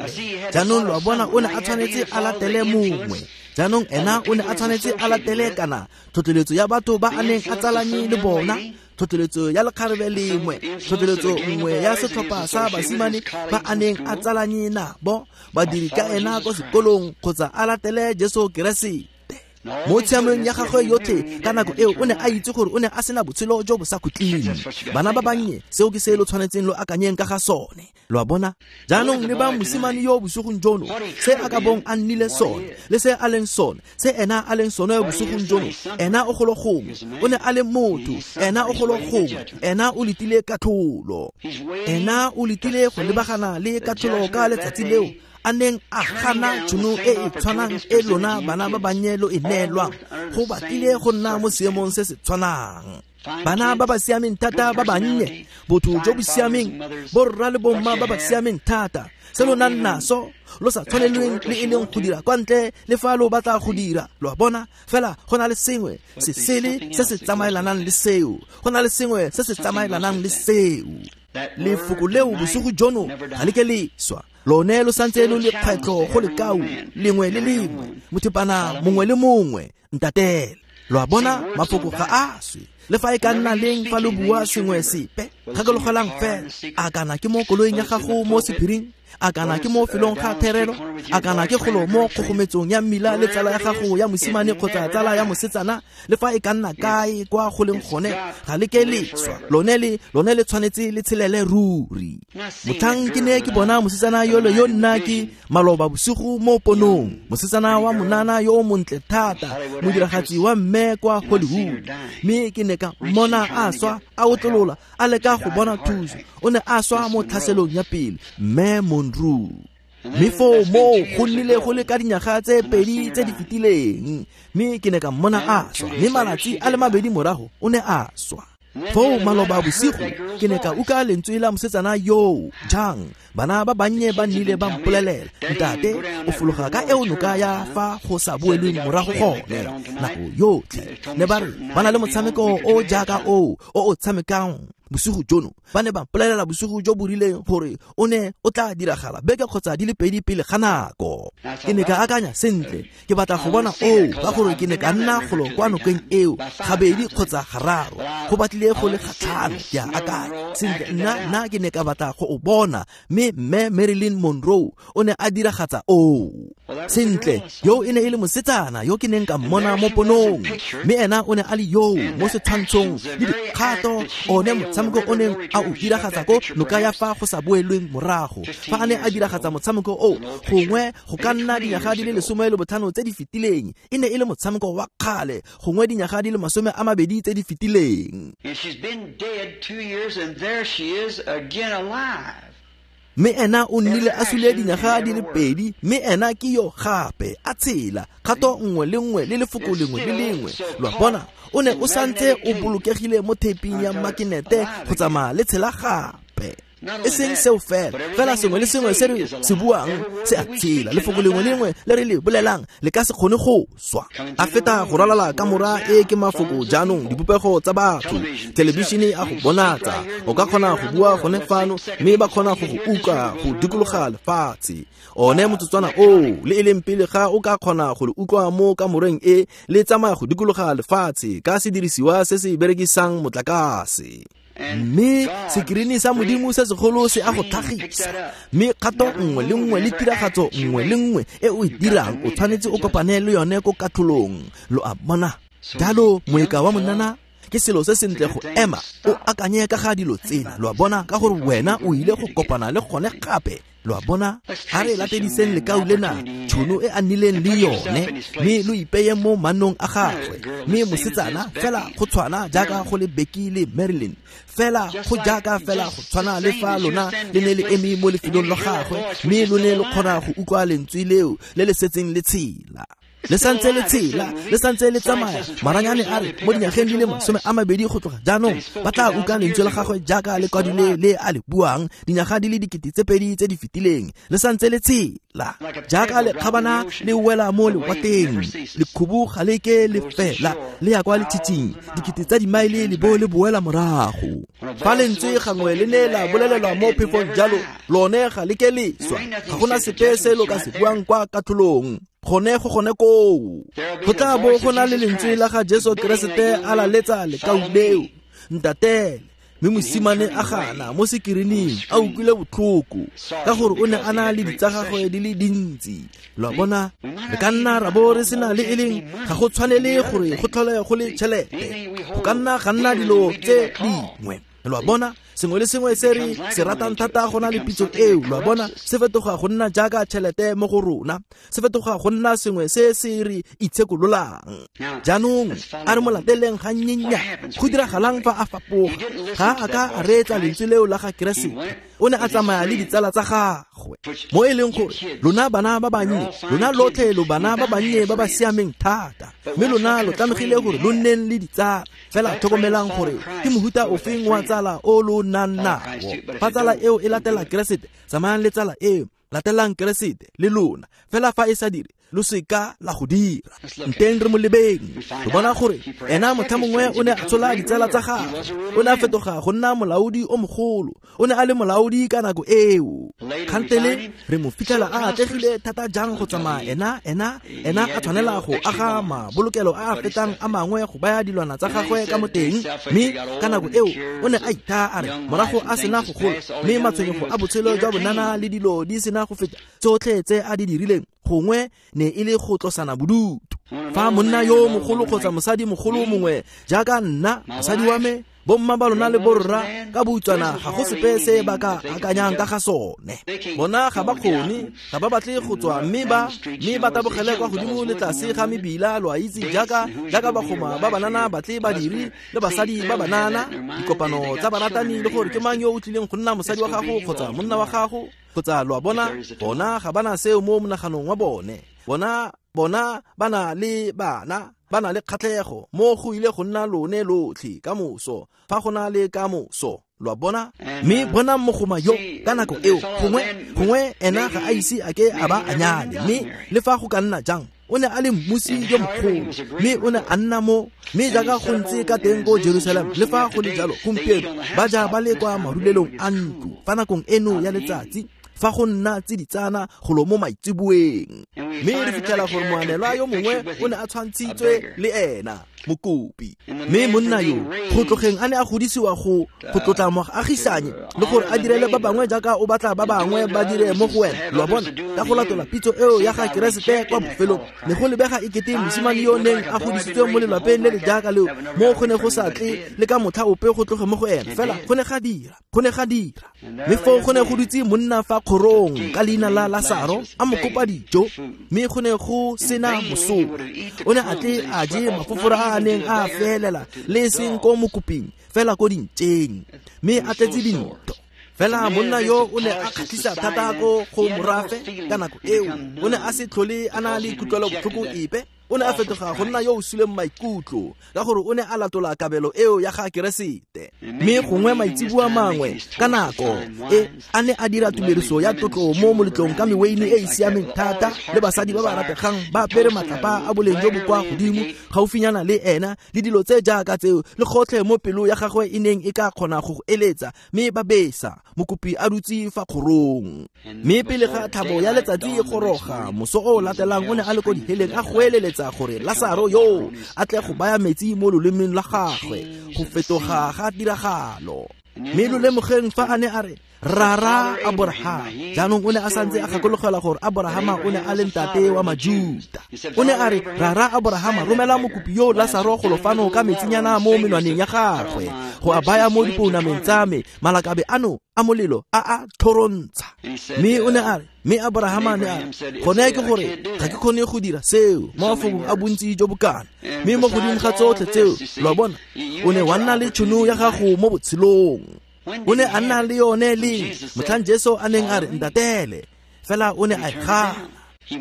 Jaanong lo a bona, o ne a tshwanetse a latele mongwe. Jaanong ena o ne a tshwanetse a latele kana tlhotlheletso ya batho ba a neng a tsalanye le bona, tlhotlheletso ya lekgarebe lengwe, tlhotlheletso nngwe ya setlhopha sa basimane ba a neng a tsalanye nabo, badiri ka ena ko sekolong, kgotsa a latele Jesu Keresete. Mo tshiamong ya gagwe yotlhe ka nako eo o ne a itse gore o ne a sena botshelo jo bo sa khutleng. Bana ba bannye, seo ke se lo tshwanetseng lo akanyeng ka ga sone. Lo a bona, jaanong le ba mosimane yo bosigong jono, se a ka bong a nnile sone le se a leng sone, se ena a leng sone bosigong jono, ena o golo gongwe, o ne a le motho, ena o golo gongwe, ena o letile katlholo, ena o letile go lebagana le katlholo ka letsatsi leo a neng a gana tšhono e e tshwanang e lona bana ba bannye lo e neelwang, go batlile go nna mo seemong se se tshwanang. Bana ba ba siameng thata ba bannye, botho jo bo siameng, borra le bomma ba ba siameng thata, se lo nang naso lo sa tshwanelweng le e leng go dira kwa ntle le fa lo batla go dira. Lo a bona, fela go na le sengwe se sele se se tsamaelanang le seo, go na le sengwe se se tsamaelanang le seo. Lefoko leo bosigo jono ga le ke le swa, lone lo santse lo le kgwetlho go lekau lengwe le lengwe, mothepana mongwe le mongwe, ntatele. Lo a bona, mafoko ga a swe le fa e ka nna leng fa lo bua sengwe sepe. Gakologelang fela, a kana ke mo koloing ya gago mo sephiring, a kana ke mo felong ga therelo, a kana ke golo mo kgogometsong ya mmila le tsala ya gago ya mosimane kgotsa tsala ya mosetsana, le fa e ka nna kae kwa go leng gone, ga le ke le swa. Lone le lone le tshwanetse le tshelele ruri. Motlhang ke ne ke bona mosetsana yole yo nna ke maloba bosigo mo ponong, mosetsana wa monana yo o montle thata, modiragatsi wa mme kwa Hollywood, mme ke ne ka mmona a swa a otlolola a leka go bona thuso. O ne a swa mo tlhaselong ya pele, mme Monroe. Mme foo moo go nnile go le ka dinyaga tse pedi tse di fetileng, mme ke ne ka mmona a swa, mme malatsi a le mabedi morago o ne a swa. Foo maloba bosigo ke ne ka utlwa lentswe la mosetsana yoo jang bana ba bannye ba nnile ba mpolelela ntate o fologa ka eo noka ya fa go sa boelweng morago gone nako yotlhe ne ba re ba na le motshameko o jaaka oo o o tshamekang bosigo jono ba ne ba mpolelela bosigo jo bo rileng gore o ne o tla diragala beke kgotsa di le pedi pele ga nako. Ke ne ka akanya sentle ke batla go bona oo ka gore ke ne ka nna golo kwa nokeng eo gabedi kgotsa gararo go batlile go le gatlhano ke a akanya sentle nna nna ke ne ka batla go o bona mme mme Marilyn Monroe o ne a diragatsa oo sentle yo e ne e le mosetsana yo ke neng ka mmona mo ponong mme ena o ne a le yoo mo setshwantshong le dikgato one motshameko o neng a o diragatsa ko noka ya fa go sa boelweng morago fa a ne a diragatsa motshameko o gongwe go ka nna dinyaga di le lesome le botlhano tse di fetileng e ne e le motshameko wa kgale gongwe dinyaga di le masome a mabedi tse di fetileng. Mme ena o nnile a sule dinyaga di le pedi mme ena ke yo gape a tshela kgato nngwe le nngwe le lefoko lengwe le lengwe lo a bona o ne o santse o bolokegile mo theping ya makinete go tsamaya le tshela gape e seng seo fela fela sengwe le sengwe se re se buang se a tshela lefoko lengwe le lengwe le re le bolelang le ka se kgone go swa a feta go ralala kamora e ke mafoko jaanong dipopego tsa batho thelebišene a go bonatsa o ka kgona go bua gone fano mme ba kgona go go utlwa go dikologa lefatshe one motsotswana oo le e leng pele ga o ka kgona go le utlwa mo kamoreng e le tsamaya go dikologa lefatshe ka sedirisiwa se se berekisang motlakase. Mme sekirini sa modimo se segolo se a go tlhagisa mme kgato nngwe le nngwe le tiragatso nngwe le nngwe e o e dirang o tshwanetse o kopane le yone ko katlholong lo a bona. Jalo moeka wa monana ke selo se sentle go ema o akanye ka ga dilo tsena lo a bona ka gore wena o ile go kopana le gone gape lo a bona. Ha re latediseng lekau lena tšhono e a nnileng le yone mme lo ipeye mo mannong a gagwe mme mosetsana fela go tshwana jaaka go le Becky le Marilyn fela go jaaka fela go tshwana le fa lona le ne le eme mo lefelong la gagwe mme lo ne lo kgona go utlwa lentswe leo le le setseng le tshela le santse le tshela le santse le tsamaya maranyane a re mo dinyageng di le masome a mabedi go tloga jaanong ba tla utlwa lentswe la gagwe jaaka le kwadile le a le buang dinyaga di le dikete tse pedi tse di fetileng le santse le tshela jaaka lekgabana le wela mo lewatleng lekhubu ga le ke le fela le ya kwa letshitshing dikete tsa dimaele le bo le boela morago fa lentswe gangwe le ne la bolelelwa mo phefong jalo lone ga le ke le swa ga gona sepe se lo ka se buang kwa katlholong gone go gone koo go tla bo go na le lentswe la ga Jesu Keresete a laletsa lekau leo ntatele mme mosimane a gana mo sekirining a utlwile botlhoko ka gore o ne a na le ditsa gagwe di le dintsi lo a bona. Re ka nna ra bo re sena le e leng ga go tshwanele gore go tlhole go le tšhelete go ka nna ga nna dilo tse dingwe lo a bona sengwe le sengwe se re se ratang thata go na le pitso eo lo a bona se fetoga go nna jaaka tšhelete mo go rona se fetoga go nna sengwe se se re itshekololang. Jaanong a re mo lateleng gannyenya go diragalang fa a fapoga ga a ka a reetsa lentswe leo la ga Keresete o ne a tsamaya le ditsala tsa gagwe mo e leng gore lona bana ba bannye lona lotlhe lo bana ba bannye ba ba siameng thata mme lona lo tlamegile gore lo nneng le ditsala fela tlhokomelang gore ke mohuta ofeng wa tsala o lo nang nao fa tsala eo e latela Keresete tsamayang le tsala eo latelang Keresete le lona fela fa e sa dire lo seka la go dira nteng re mo lebeng re bona gore ena motlha mongwe o ne a tshola ditsala tsa gagwe o ne a fetoga go nna molaodi o mogolo o ne a le molaodi ka nako eo kgantele re mo fitlhela a atlegile thata jang go tsamaya ena ena ena a tshwanela go aga mabolokelo a a fetang a mangwe go baya dilwana tsa gagwe ka mo teng mme ka nako eo o ne a ithaa a re morago a sena go gola mme matshwenyego a botshelo jwa bonana le dilo di sena go feta tsotlhe tse a di dirileng gongwe ne e le go tlosana bodutu fa monna yo mogolo kgotsa mosadi mogolo mongwe jaaka nna mosadi wa me bomma ba lona le borra ka boutswana ga go sepe se ba ka akanyang ka ga sone bona ga ba kgone ga ba batle go tswa mme ba mme ba tabogele kwa godimo le tlase ga mebila lo a itse jaaka jaaka bagoma ba banana batle badiri le basadi ba banana dikopano tsa baratani le gore ke mang yo o tlileng go nna mosadi wa gago kgotsa monna wa gago kgotsa lo a bona bona ga bana seo mo monaganong wa bone bona bona ba na le bana ba na le kgatlhego mo go ile go nna lone lotlhe ka moso fa go na le ka moso lo a bona mme bona mogoma yo ka nako eo gongwe gongwe ena ga a ise a ke a ba a nyale mme le fa go ka nna jang o ne a le mmusi yo mogolo mme o ne a nna mo mme jaaka go ntse ka teng ko Jerusalem le fa go le jalo gompieno ba ja ba le kwa marulelong a ntlo fa nakong eno ya letsatsi fa go nna tsiditsana golo mo maitseboeng mme re fitlhela gore moanelwa yo mongwe o ne a tshwantshitswe le ena mokopi mme monna yo go tlogeng a ne a godisiwa go go tlotla moagisanye le gore a direle ba bangwe jaaka o batla ba bangwe ba dire mo go wena lo a bona ka go latola pitso eo ya ga Keresete kwa bofelong ne go lebega e kete mosimane yo neng a godisitswe mo lelapeng le le jaaka leo mo go ne go sa tle le ka motlha ope go tloge mo go ena fela go ne ga dira go ne ga dira mme foo go ne go dutse monna fa kgorong ka leina la Lasaro a mo kopa dijo mme go ne go sena mosola o ne a tle a je mafofora a a neng a felela le seng ko mokoping fela ko dintšeng mme a tletse dinto fela monna yo o ne a kgatlhisa thata ko go morafe ka nako eo o ne a se tlhole a na le kutlwelobotlhoko epe o ne a fetoga go nna yo o suleng maikutlo ka gore o ne a latola kabelo eo ya ga Keresete mme gongwe maitseboa mangwe ka nako e a ne a dira tumediso ya tlotlo mo moletlong ka meweine e e siameng thata le basadi ba ba rategang ba apere matlapa a boleng jo bo kwa godimo gaufinyana le ena le dilo tse jaaka tseo le gotlhe mo pelo ya gagwe e neng e ka kgona go go eletsa mme ba besa mokopi a dutse fa kgorong mme pele ga thabo ya letsatsi e goroga moso o latelang o ne a le ko diheleng a goeleletsa gore Lasaro yo a tle go baya metsi mo lolemeng la gagwe go fetoga ga tiragalo mme lo lemogeng fa a ne a re rara Aborahama jaanong o ne a santse a gakologelwa gore Aborahama o ne a le ntate wa Majuta o ne a re rara Aborahama romela mokopi yo Lasaro golo fano ka metsinyana mo menwaneng ya gagwe go a baya mo dipounameng tsa me malakabe ano a molelo a a tlhorontsha mme o ne a re mme Aborahama ne a re gone ke gore ga ke kgone go dira seo mo mafokong a bontsi jo bokana mme mo godimo ga tsotlhe tseo lo a bona o ne wa nna le tšhono ya gago mo botshelong o ne a nna le yone le motlhang Jesu a neng a re ntatele fela o ne a e gana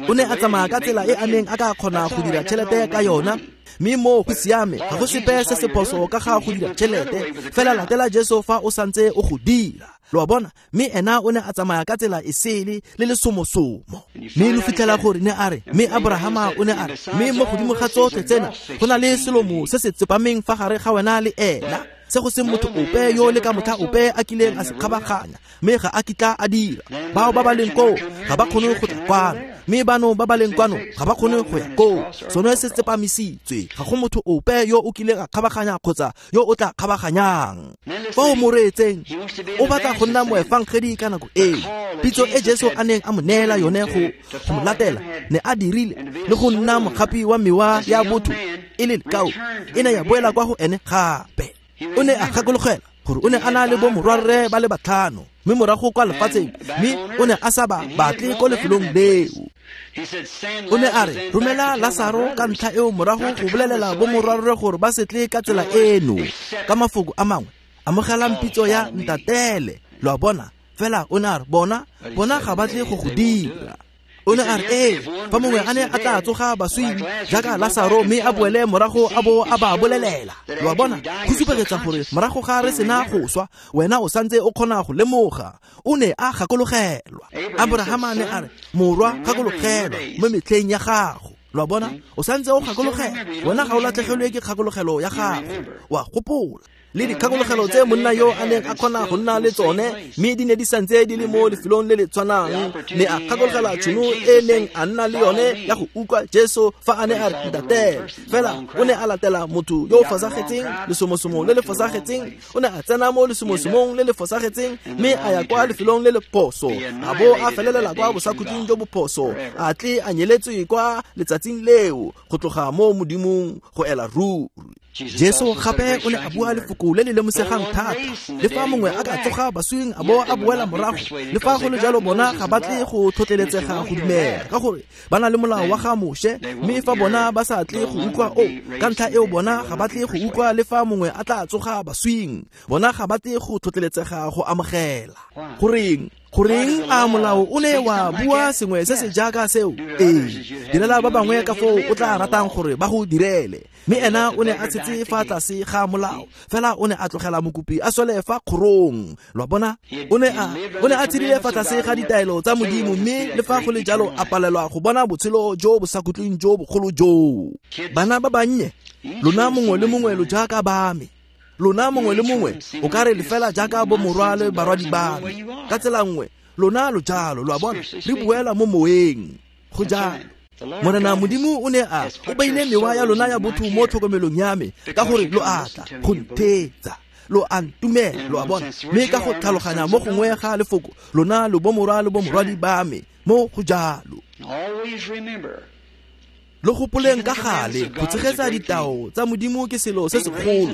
o ne a tsamaya ka tsela e a neng a ka kgona go dira tšhelete ka yona mme mo go siame ga go sepe se se phoso ka ga go dira tšhelete fela latela Jesu fa o santse o go dira lo a bona mme ena o ne a tsamaya ka tsela e sele le lesomosomo mme lo fitlhela gore ne a re mme Aborahama o ne a re mme mo godimo ga tsotlhe tsena go na le selomo se se tsepameng fa gare ga wena le ena se go seng motho ope yo le ka motlha ope a kileng a se kgabaganya mme ga a kitla a dira bao ba ba leng koo ga ba kgone go tla kwano mme bano ba ba leng kwano ga ba kgone go ya koo sone se tsepamisitswe ga go motho ope yo o kileng a kgabaganya kgotsa yo o tla kgabaganyang fa o mo reetseng o batla go nna moefangedi ka nako eo pitso e Jesu a neng a mo neela yone go go mo latela ne a dirile le go nna mogapi wa mewa ya botho e le lekao e ne ya boela kwa go ene gape o ne a gakologela gore o ne a na le bo morwarre ba le batlhano mme morago kwa lefatsheng mme o ne a sa ba batle ko lefelong leo o ne a re romela Lasaro ka ntlha eo morago go bolelela bo morwarre gore ba se tle ka tsela eno ka mafoko a mangwe amogelang pitso ya ntatele lo a bona fela o ne a re bona bona ga ba tle go go dira o ne a re ee fa mongwe a ne a tla tsoga baswing jaaka Lasaro mme a boele morago a bo a ba bolelela lo a bona go supegetsa gore morago ga re sena go swa wena o santse o kgona go lemoga o ne a gakologelwa Aborahama ne a re morwa gakologelwa mo metlheng ya gago lo a bona o santse o gakologela wena ga o latlhegelwe ke kgakologelo ya gago wa gopola le dikgakologelo tse monna yo a neng a kgona go nna le tsone mme di ne di santse di le mo lefelong le le tshwanang ne a gakologelwa tšhono e neng a nna le yone ya go utlwa Jesu fa a ne a re ntatele fela o ne a latela motho yo o fosagetseng lesomosomo le le fosagetseng o ne a tsena mo lesomosomong le le fosagetseng mme a ya kwa lefelong le le phoso a bo a felelela kwa bosakhutleng jo bo phoso a tle a nyeletswe kwa letsatsing leo go tloga mo modimong go ela ruri. Jesu gape o ne a bua lefoko le le lemosegang thata le fa mongwe a ka tsoga baswing a bo a boela morago le fa go le jalo bona ga ba tle go tlhotlheletsega go dumela ka gore ba na le molao wa ga Moshe mme fa bona ba sa tle go utlwa o ka ntlha eo bona ga ba tle go utlwa le fa mongwe a tla tsoga baswing bona ga ba tle go tlhotlheletsega go amogela goreng goreng a molao o ne wa bua sengwe se se jaaka seo ee direla ba bangwe ka foo o tla ratang gore ba go direle mme ena o ne a tshetse fa tlase ga molao fela o ne a tlogela mokopi a swele fa kgorong lwa bona o ne a o ne a tshedile fa tlase ga ditaelo tsa Modimo mme le fa go le jalo a palelwa go bona botshelo jo bo sa khutleng jo bogolo joo bana ba bannye lona mongwe le mongwe lo jaaka ba me lona mongwe le mongwe o ka re le fela jaaka bo morwa le barwadi ba me ka tsela nngwe lona lo jalo lo a bona re buela mo moeng go jalo Morena Modimo o ne a o beile mewa ya lona ya botho mo tlhokomelong ya me ka gore lo atla go ntheetsa lo a ntumela lo a bona mme ka go tlhaloganya mo gongwe ga lefoko lona lo bo morwa le bo morwadi ba me mo go jalo lo gopoleng ka gale go tshegetsa ditao tsa Modimo ke selo se segolo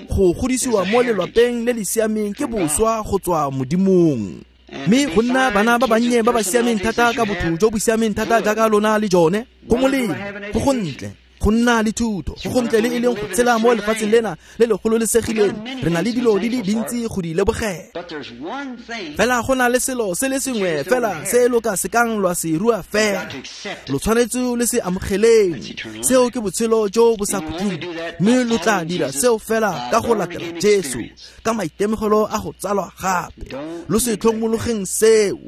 go godisiwa mo lelwapeng le le siameng ke boswa go tswa Modimong mme go nna bana ba bannye ba ba siameng thata ka botho jo bo siameng thata jaaka lona le jone go molemo go gontle go nna le thuto go gontle le e leng go tshela mo lefatsheng lena le le gololesegileng re na le dilo di le dintsi go di lebogela fela go na le selo se le sengwe fela se lo ka sekang lwa se rua fela lo tshwanetse le se amogeleng seo ke botshelo jo bo sa khutleng mme lo tla dira seo fela ka go latela Jesu ka maitemogelo a go tsalwa gape lo se tlhomologeng seo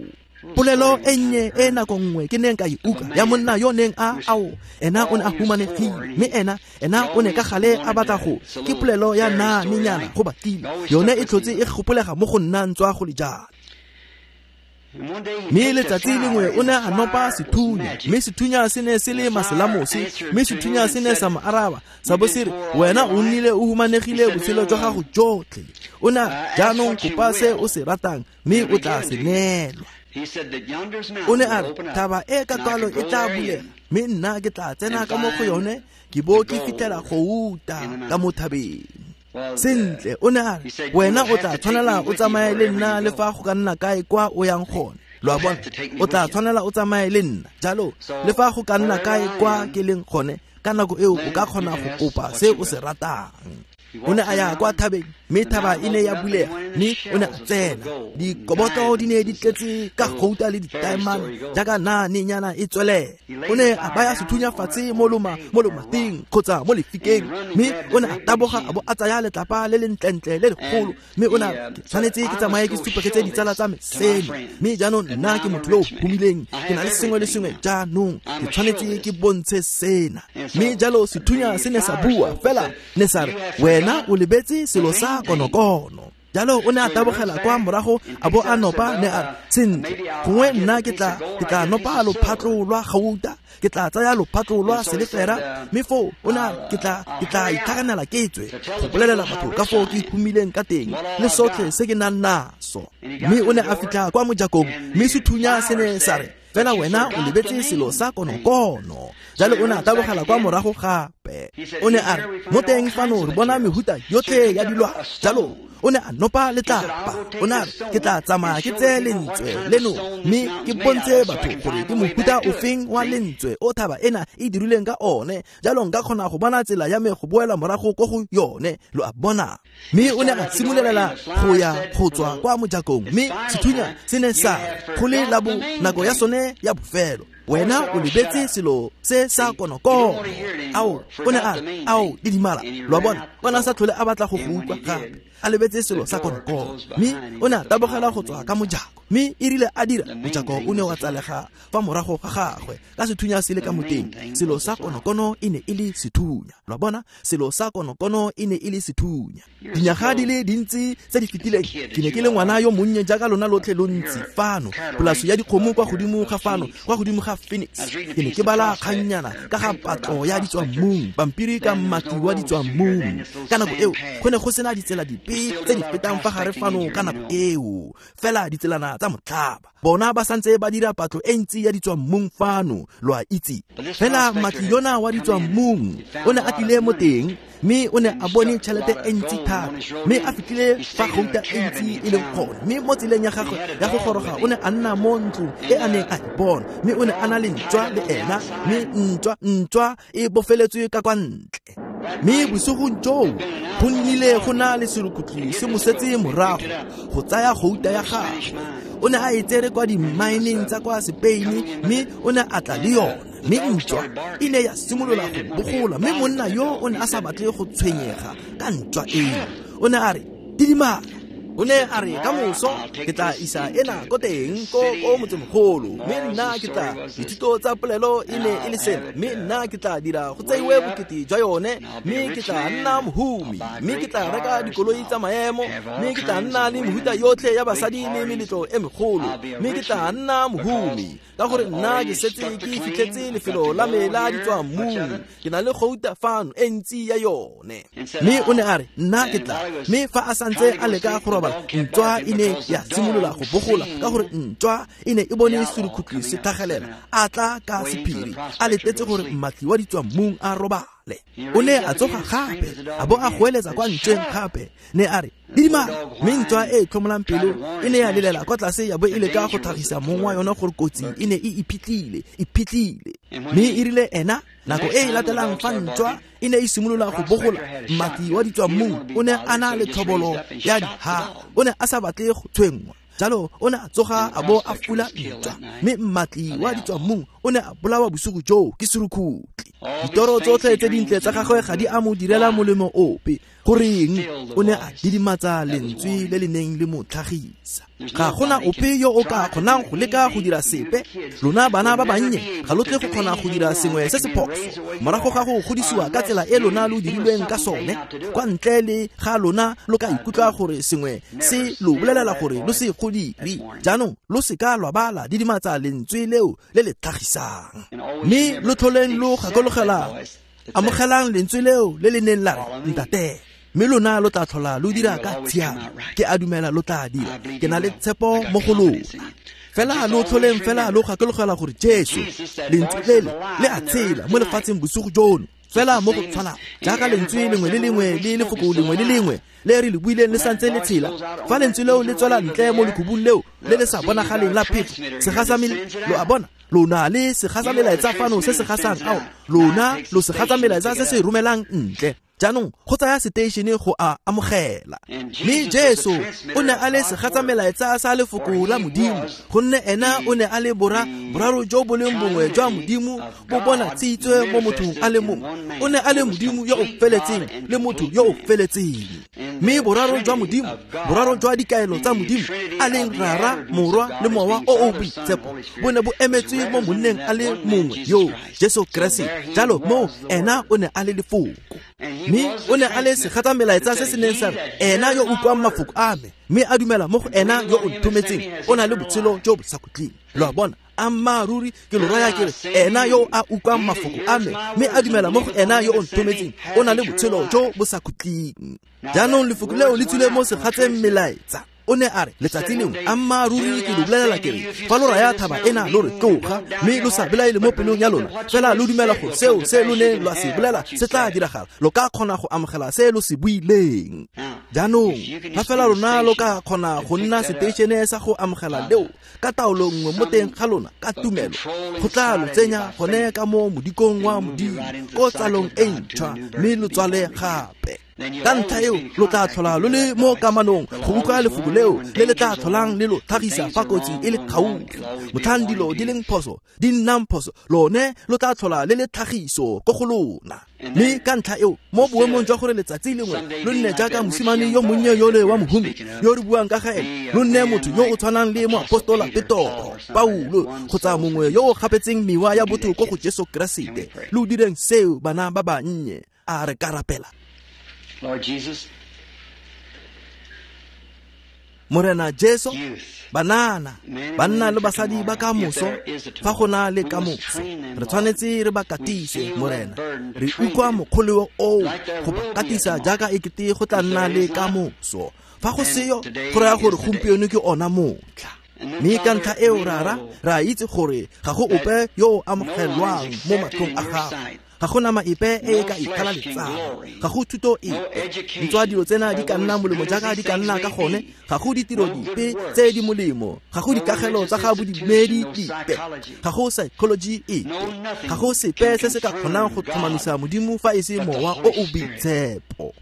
polelo e nnye e nako nngwe ke neng ka e utlwa ya monna yo neng a ao ena o ne a humanegile mme ena ena o ne ka gale a batla go ke polelo ya naanenyana go batlile yone e tlhotse e gopolega mo go nna ntswa go le jalo mme letsatsi lengwe o ne a nopa sethunya mme sethunya se ne se le maselamose mme sethunya se ne sa mo araba sa bo se re wena o nnile o humanegile botshelo jwa gago jotlhe o ne jaanong kopa se o se ratang mme o tla se neelwa o ne a re thaba e ka twalo e tla bulega mme nna ke tla tsena ka mo go yone ke bo ke fitlhela gouta ka mo thabeng sentle o ne a re wena o tla tshwanela o tsamaye le nna le fa go ka nna kae kwa o yang gone lo a bona o tla tshwanela o tsamaye le nna jalo le fa go ka nna kae kwa ke leng gone ka nako eo o ka kgona go kopa se o se ratang o ne a ya kwa thabeng mme thaba e ne ya bulega mme o ne a tsena dikoboto di ne di tletse ka gouta le ditaemane jaaka naanenyana e tswelela o ne a baya sethunya fatshe mo loma mo lomating kgotsa mo lefikeng mme o ne a taboga a bo a tsaya letlapa le le ntlentle le legolo mme o ne a tshwanetse ke tsamaye ke supegetse ditsala tsa me seno mme jaanong nna ke motho yo o humileng ke na le sengwe le sengwe jaanong ke tshwanetse ke bontshe sena mme jalo sethunya se ne sa bua fela ne sa re wena o lebetse selo sa konokono jalo o ne a tabogela kwa morago a bo a nopa ne a sentle gongwe nna ke tla ke tla nopa lophatlo lwa gauta ke tla tsaya lophatlo lwa selefera mme foo o ne a ke tla ke tla itlhaganela ke tswe go bolelela batho ka foo ke humileng ka teng le sotlhe se ke nang naso mme o ne a fitlha kwa mojakong mme sethunya se ne sa re fela wena o lebetse selo sa konokono jalo o ne a tabogela kwa morago gape o ne a re mo teng fano re bona mehuta yotlhe ya dilwa jalo o ne a nopa letlapa o ne a re ke tla tsamaya ke tseye lentswe leno mme ke bontshe batho gore ke mohuta ofeng wa lentswe o thaba ena e dirileng ka one jalo nka kgona go bona tsela ya me go boela morago ko go yone lo a bona mme o ne a simololela go ya go tswa kwa mojakong mme sethunya se ne sa go le la bo nako ya sone ya bofelo wena o lebetse selo se sa konokono ao o ne a re ao didimala lo a bona o ne a sa tlhole a batla go go utlwa gape a lebetse selo sa konokono mme o ne a tabogela go tswa ka mojako mme e rile a dira mojako o ne wa tsalega fa morago ga gagwe ka sethunya se le ka moteng selo sa konokono e ne e le sethunya lo a bona selo sa konokono e ne e le sethunya dinyaga di le dintsi tse di fetileng ke ne ke le ngwana yo monnye jaaka lona lotlhe lo ntsi fano polase ya dikgomo kwa godimo ga fano kwa godimo ga Phoenix ke ne ke bala kgannyana ka ga patlo ya ditswammung pampiri ka mmati wa ditswammung ka nako eo go ne go sena ditsela dipe tse di fetang fa gare fano ka nako eo fela ditselana tsa motlhaba. Bona ba santse ba dira patlo e ntsi ya ditswammung fano, lo a itse. Fela mmatli yona wa ditswammung o ne a tlile mo teng, mme o ne a bone tšhelete e ntsi thata, mme a fitlhile fa gouta e ntsi e leng gone. Mme mo tseleng ya gagwe ya go goroga o ne a nna mo ntlong e a neng a e bona, mme o ne a na le ntšwa le ena, mme ntšwa ntšwa e bofeletswe ka kwa ntle. Mme bosigong joo go nnile go na le serukutlhi se mo setse morago go tsaya gouta ya gagwe. O ne a e tsere kwa dimmaeneng tsa kwa Spain, mme o ne a tla le yone. Mme ntšwa e ne ya simolola go bogola, mme monna yo o ne a sa batle go tshwenyega ka ntšwa eo. O ne a re, didimala. O ne a re, ka moso ke tla isa ena ko teng ko ko motsemogolo, mme nna ke tla dithuto tsa polelo e ne e le sena, mme nna ke tla dira go tseiwe bokete jwa yone, mme ke tla nna mohumi, mme ke tla reka dikoloi tsa maemo, mme ke tla nna le mehuta yotlhe ya basadi le meletlo e megolo, mme ke tla nna mohumi ka gore nna ke setse ke fitlhetse lefelo la me la ditswammung, ke na le gouta fano e ntsi ya yone. Mme o ne a re, nna ke tla. Mme fa a santse a leka go robala, ntšwa e ne ya simolola go bogola ka gore ntšwa e ne e bone serukutlhi se tlhagelela, a tla ka sephiri a letetse gore mmatli wa ditswammung a robale. O ne a tsoga gape a bo a goeletsa kwa ntšweng gape, ne a re, didimala. Mme ntšwa e e tlhomolang pelo e ne ya lelela kwa tlase ya bo e leka go tlhagisa mong wa yona gore kotsi e ne e iphitlhile iphitlhile. Mme e rile ena nako e e latelang fa ntšwa e ne e simolola go bogola, mmatli wa ditswammung o ne a na le tlhobolo ya dihaga, o ne a sa batle go tshwenngwa. Jalo o ne a tsoga a bo a fula ntšwa, mme mmatli wa ditswammung o ne a bolawa bosigo joo ke serukutlhi. Ditoro tsotlhe tse dintle tsa gagwe ga di a mo direla molemo ope. Goreng? O ne a didimatsa lentswe le le neng le mo tlhagisa. Ga gona ope yo o ka kgonang go leka go dira sepe. Lona bana ba bannye ga lo tle go kgona go dira sengwe se se phoso morago ga go godisiwa ka tsela e lona lo dirilweng ka sone. Kwa ntle le ga lona lo ka ikutlwa gore sengwe se lo bolelela gore lo se go dire. Jaanong lo seka lwa ba la didimatsa lentswe leo le le tlhagisang, mme lo tlholeng lo gakologela amogelang lentswe leo le le neng la re ntate, mme lona lo tla tlhola lo dira ka tshiamo. Ke a dumela lo tla dira, ke na le tshepo mo go lona. Fela lo tlholeng fela lo gakologela gore Jesu lentswe lele le a tshela mo lefatsheng bosigo jono, fela mo go tshwanang jaaka lentswe lengwe le lengwe le lefoko lengwe le lengwe le re le buileng le santse le tshela. Fa lentswe leo le tswela ntle mo lekhubung leo le le sa bonagaleng la phefo, segasamele lo a bona, lona le segatsa melaetsa fano se se gasang ao, lona lo segatsa melaetsa se se romelang ntle. Jaanong go tsaya seteišene go a amogela. Mme Jesu o ne a le segatsa melaetsa sa lefoko la Modimo, gonne ena o ne a le bora boraro jo bo leng bongwe jwa Modimo bo bonatshitswe mo mothong a le mongwe. O ne a le Modimo yo o feletseng le motho yo o feletseng. Mme boraro jwa Modimo, boraro jwa dikaelo tsa Modimo, a leng Rara, Morwa le Mowa o o Boitshepo, bo ne bo emetswe mo monneng a le mongwe yo, Jesu Keresete. Jalo mo ena o ne a le lefoko, mme o ne a le segatsa melaetsa se se neng sa re, ena yo utlwang mafoko a me mme a dumela mo go ena yo o nthometseng o na le botshelo jo bo sa khutleng. Lo a bona, ammaaruri ke lo raya ke re, ena yo a utlwang mafoko a me mme a dumela mo go ena yo o nthometseng o na le botshelo jo bo sa khutleng. Jaanong lefoko leo le tswile mo segatseng melaetsa. O ne a re, letsatsi lengwe, ammaaruri ke lo bolelela ke re, fa lo raya thaba ena lo re tloga, mme lo sa belaele mo pelong ya lona, fela lo dumela gore seo se lo neng lwa se bolela se tla diragala, lo ka kgona go amogela se lo se buileng. Jaanong fa fela lona lo ka kgona go nna seteišene sa go amogela leo ka taolo nngwe mo teng ga lona ka tumelo, go tla lo tsenya gone ka mo modikong wa Modimo ko tsalong e ntšhwa, mme lo tswale gape. Ka ntlha eo lo tla tlhola lo le mo kamanong go utlwa lefoko leo le le tla tlholang le lo tlhagisa fa kotsi e le gaufi. Motlhang dilo di leng phoso di nnang phoso, lone lo tla tlhola le le tlhagiso ko go lona. Mme ka ntlha eo mo boemong jwa gore letsatsi lengwe lo nne jaaka mosimane yo monnye yole wa mohumi yo re buang ka ga ene, lo nne motho yo o tshwanang le moapostola Petoro, Paulo kgotsa mongwe yo o gapetseng mewa ya botho ko go Jesu Keresete. Lo direng seo bana ba bannye. A re ka rapela. Lord Jesus, Morena Jesu, banana, banna le basadi ba kamoso, fa go na le kamoso, re tshwanetse re ba katise, Morena. Re utlwa mokgoleo oo go ba katisa jaaka ekete go tla nna le kamoso. Fa go seyo, go raya gore gompieno ke ona motlha. Mme ka ntlha eo Rara, re a itse gore ga go ope yo o amogelwang mo matlhong a gago. Ga go nama epe e e ka ikgalaletsang, ga go thuto epe. Ntswa dilo tsena di ka nna molemo jaaka di ka nna ka gone, ga go ditiro dipe tse di molemo, ga go dikagelo tsa ga bodumedi dipe, ga go psychology epe, ga go sepe se se ka kgonang go tlhomamisa Modimo fa e se Mowa o o Boitshepo.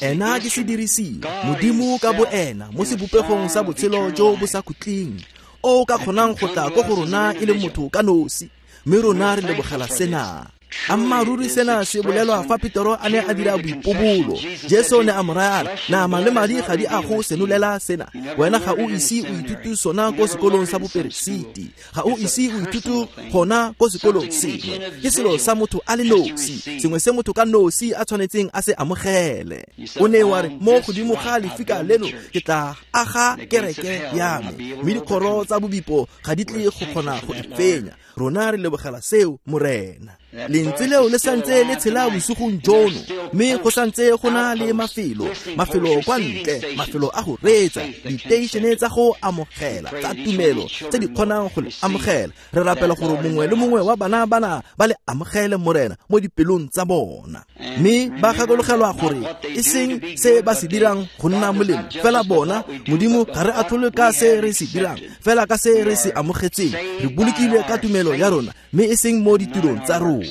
Ena ke sedirisiwa, Modimo ka boena mo sebopegong sa botshelo jo bo sa khutleng, o ka kgonang go tla ko go rona e le motho ka nosi, mme rona re lebogela sena. Ammaaruri sena se bolelwa fa Petero a ne a dira boipobolo. Jesu ne a mo raya a re, nama le madi ga di a go senolela sena. Wena ga o ise o ithute sona ko sekolong sa boperesiti, ga o ise o ithute gona ko sekolong sengwe. Ke selo sa motho a le nosi, sengwe se motho ka nosi a tshwanetseng a se amogele. O ne wa re, mo godimo ga lefika leno ke tla aga kereke ya me, mme dikgoro tsa bobipo ga di tle go kgona go e fenya. Rona re lebogela seo, Morena. Lentswe leo le santse le tshela bosigong jono, mme go santse go na le mafelo, mafelo kwa ntle, mafelo a go reetsa, diteišene tsa go amogela, tsa tumelo, tse di kgonang go le amogela. Re rapela gore mongwe le mongwe wa bana bana ba le amogele, Morena, mo dipelong tsa bona. Mme ba gakologelwa gore e seng se ba se dirang go nna molemo, fela bona, Modimo ga re atlhole ka se re se dirang, fela ka se re se amogetseng. Re bolokilwe ka tumelo ya rona, mme e seng mo ditirong tsa rona.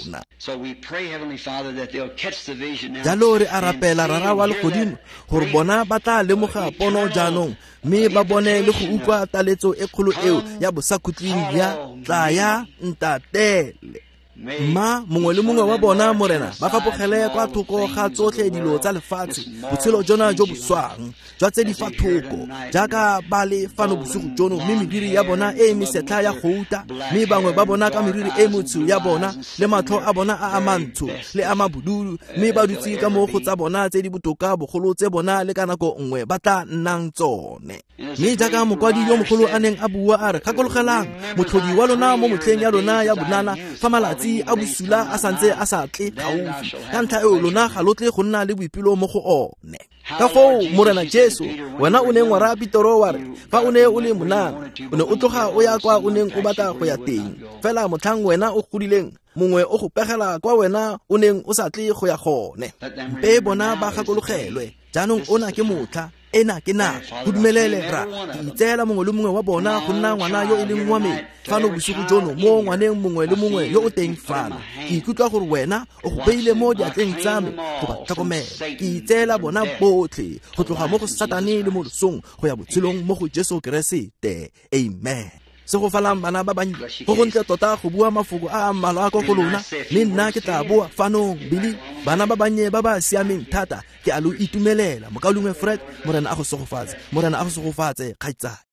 Jalo re a rapela, Rara wa legodimo, gore bona ba tla lemoga pono jaanong, mme ba bone le go utlwa taletso e kgolo eo ya bosakhutleng ya tla ya ntatele. Mma mongwe le mongwe wa bona, Morena, ba fapogele kwa thoko ga tsotlhe dilo tsa lefatshe, botshelo jona jo bo swang, jwa tse di fa thoko, jaaka ba le fano bosigo jono, mme meriri ya bona e mesetlha ya gouta, mme bangwe ba bona ka meriri e motsho ya bona, le matlho a bona a a mantsho le a mabududu, mme ba dutse ka mo go tsa bona tse di botoka bogolo tse bona le ka nako nngwe ba tla nnang tsone. Mme jaaka mokwadi yo mogolo a neng a bua a re, gakologelang motlhodi wa lona mo motlheng ya lona ya bonana, fa malatsi a bosula a santse a sa tle gaufi, ka ntlha eo lona ga lo tle go nna le boipelo mo go one. Ka foo, Morena Jesu, wena o neng wa raya Petero wa re, fa o ne o le monana, o ne o tloga o ya kwa o neng o batla go ya teng, fela motlhang wena o godileng, mongwe o go pegela kwa wena o neng o sa tle go ya gone. Mpe bona ba gakologelwe, jaanong ona ke motlha, ena ke nako, go dumelele ra ke itseela mongwe le mongwe wa bona go nna ngwana yo e leng wa me fano bosigo jono, mo ngwaneng mongwe le mongwe yo o teng fano. Ke ikutlwa gore wena o go beile mo diatleng tsa me go ba tlhokomela. Ke itseela bona botlhe go tloga mo go Satane le mo losong go ya botshelong mo go Jesu Keresete. Amen. Segofalang bana ba bannye, go gontle tota go bua mafoko a a mmalwa ko go lona, mme nna ke tla boa fanong. Bili, bana ba bannye ba ba siameng thata, ke a lo itumelela. Mokaulengwe Fred, Morena a go segofatse, Morena a go segofatse, kgaitsadi.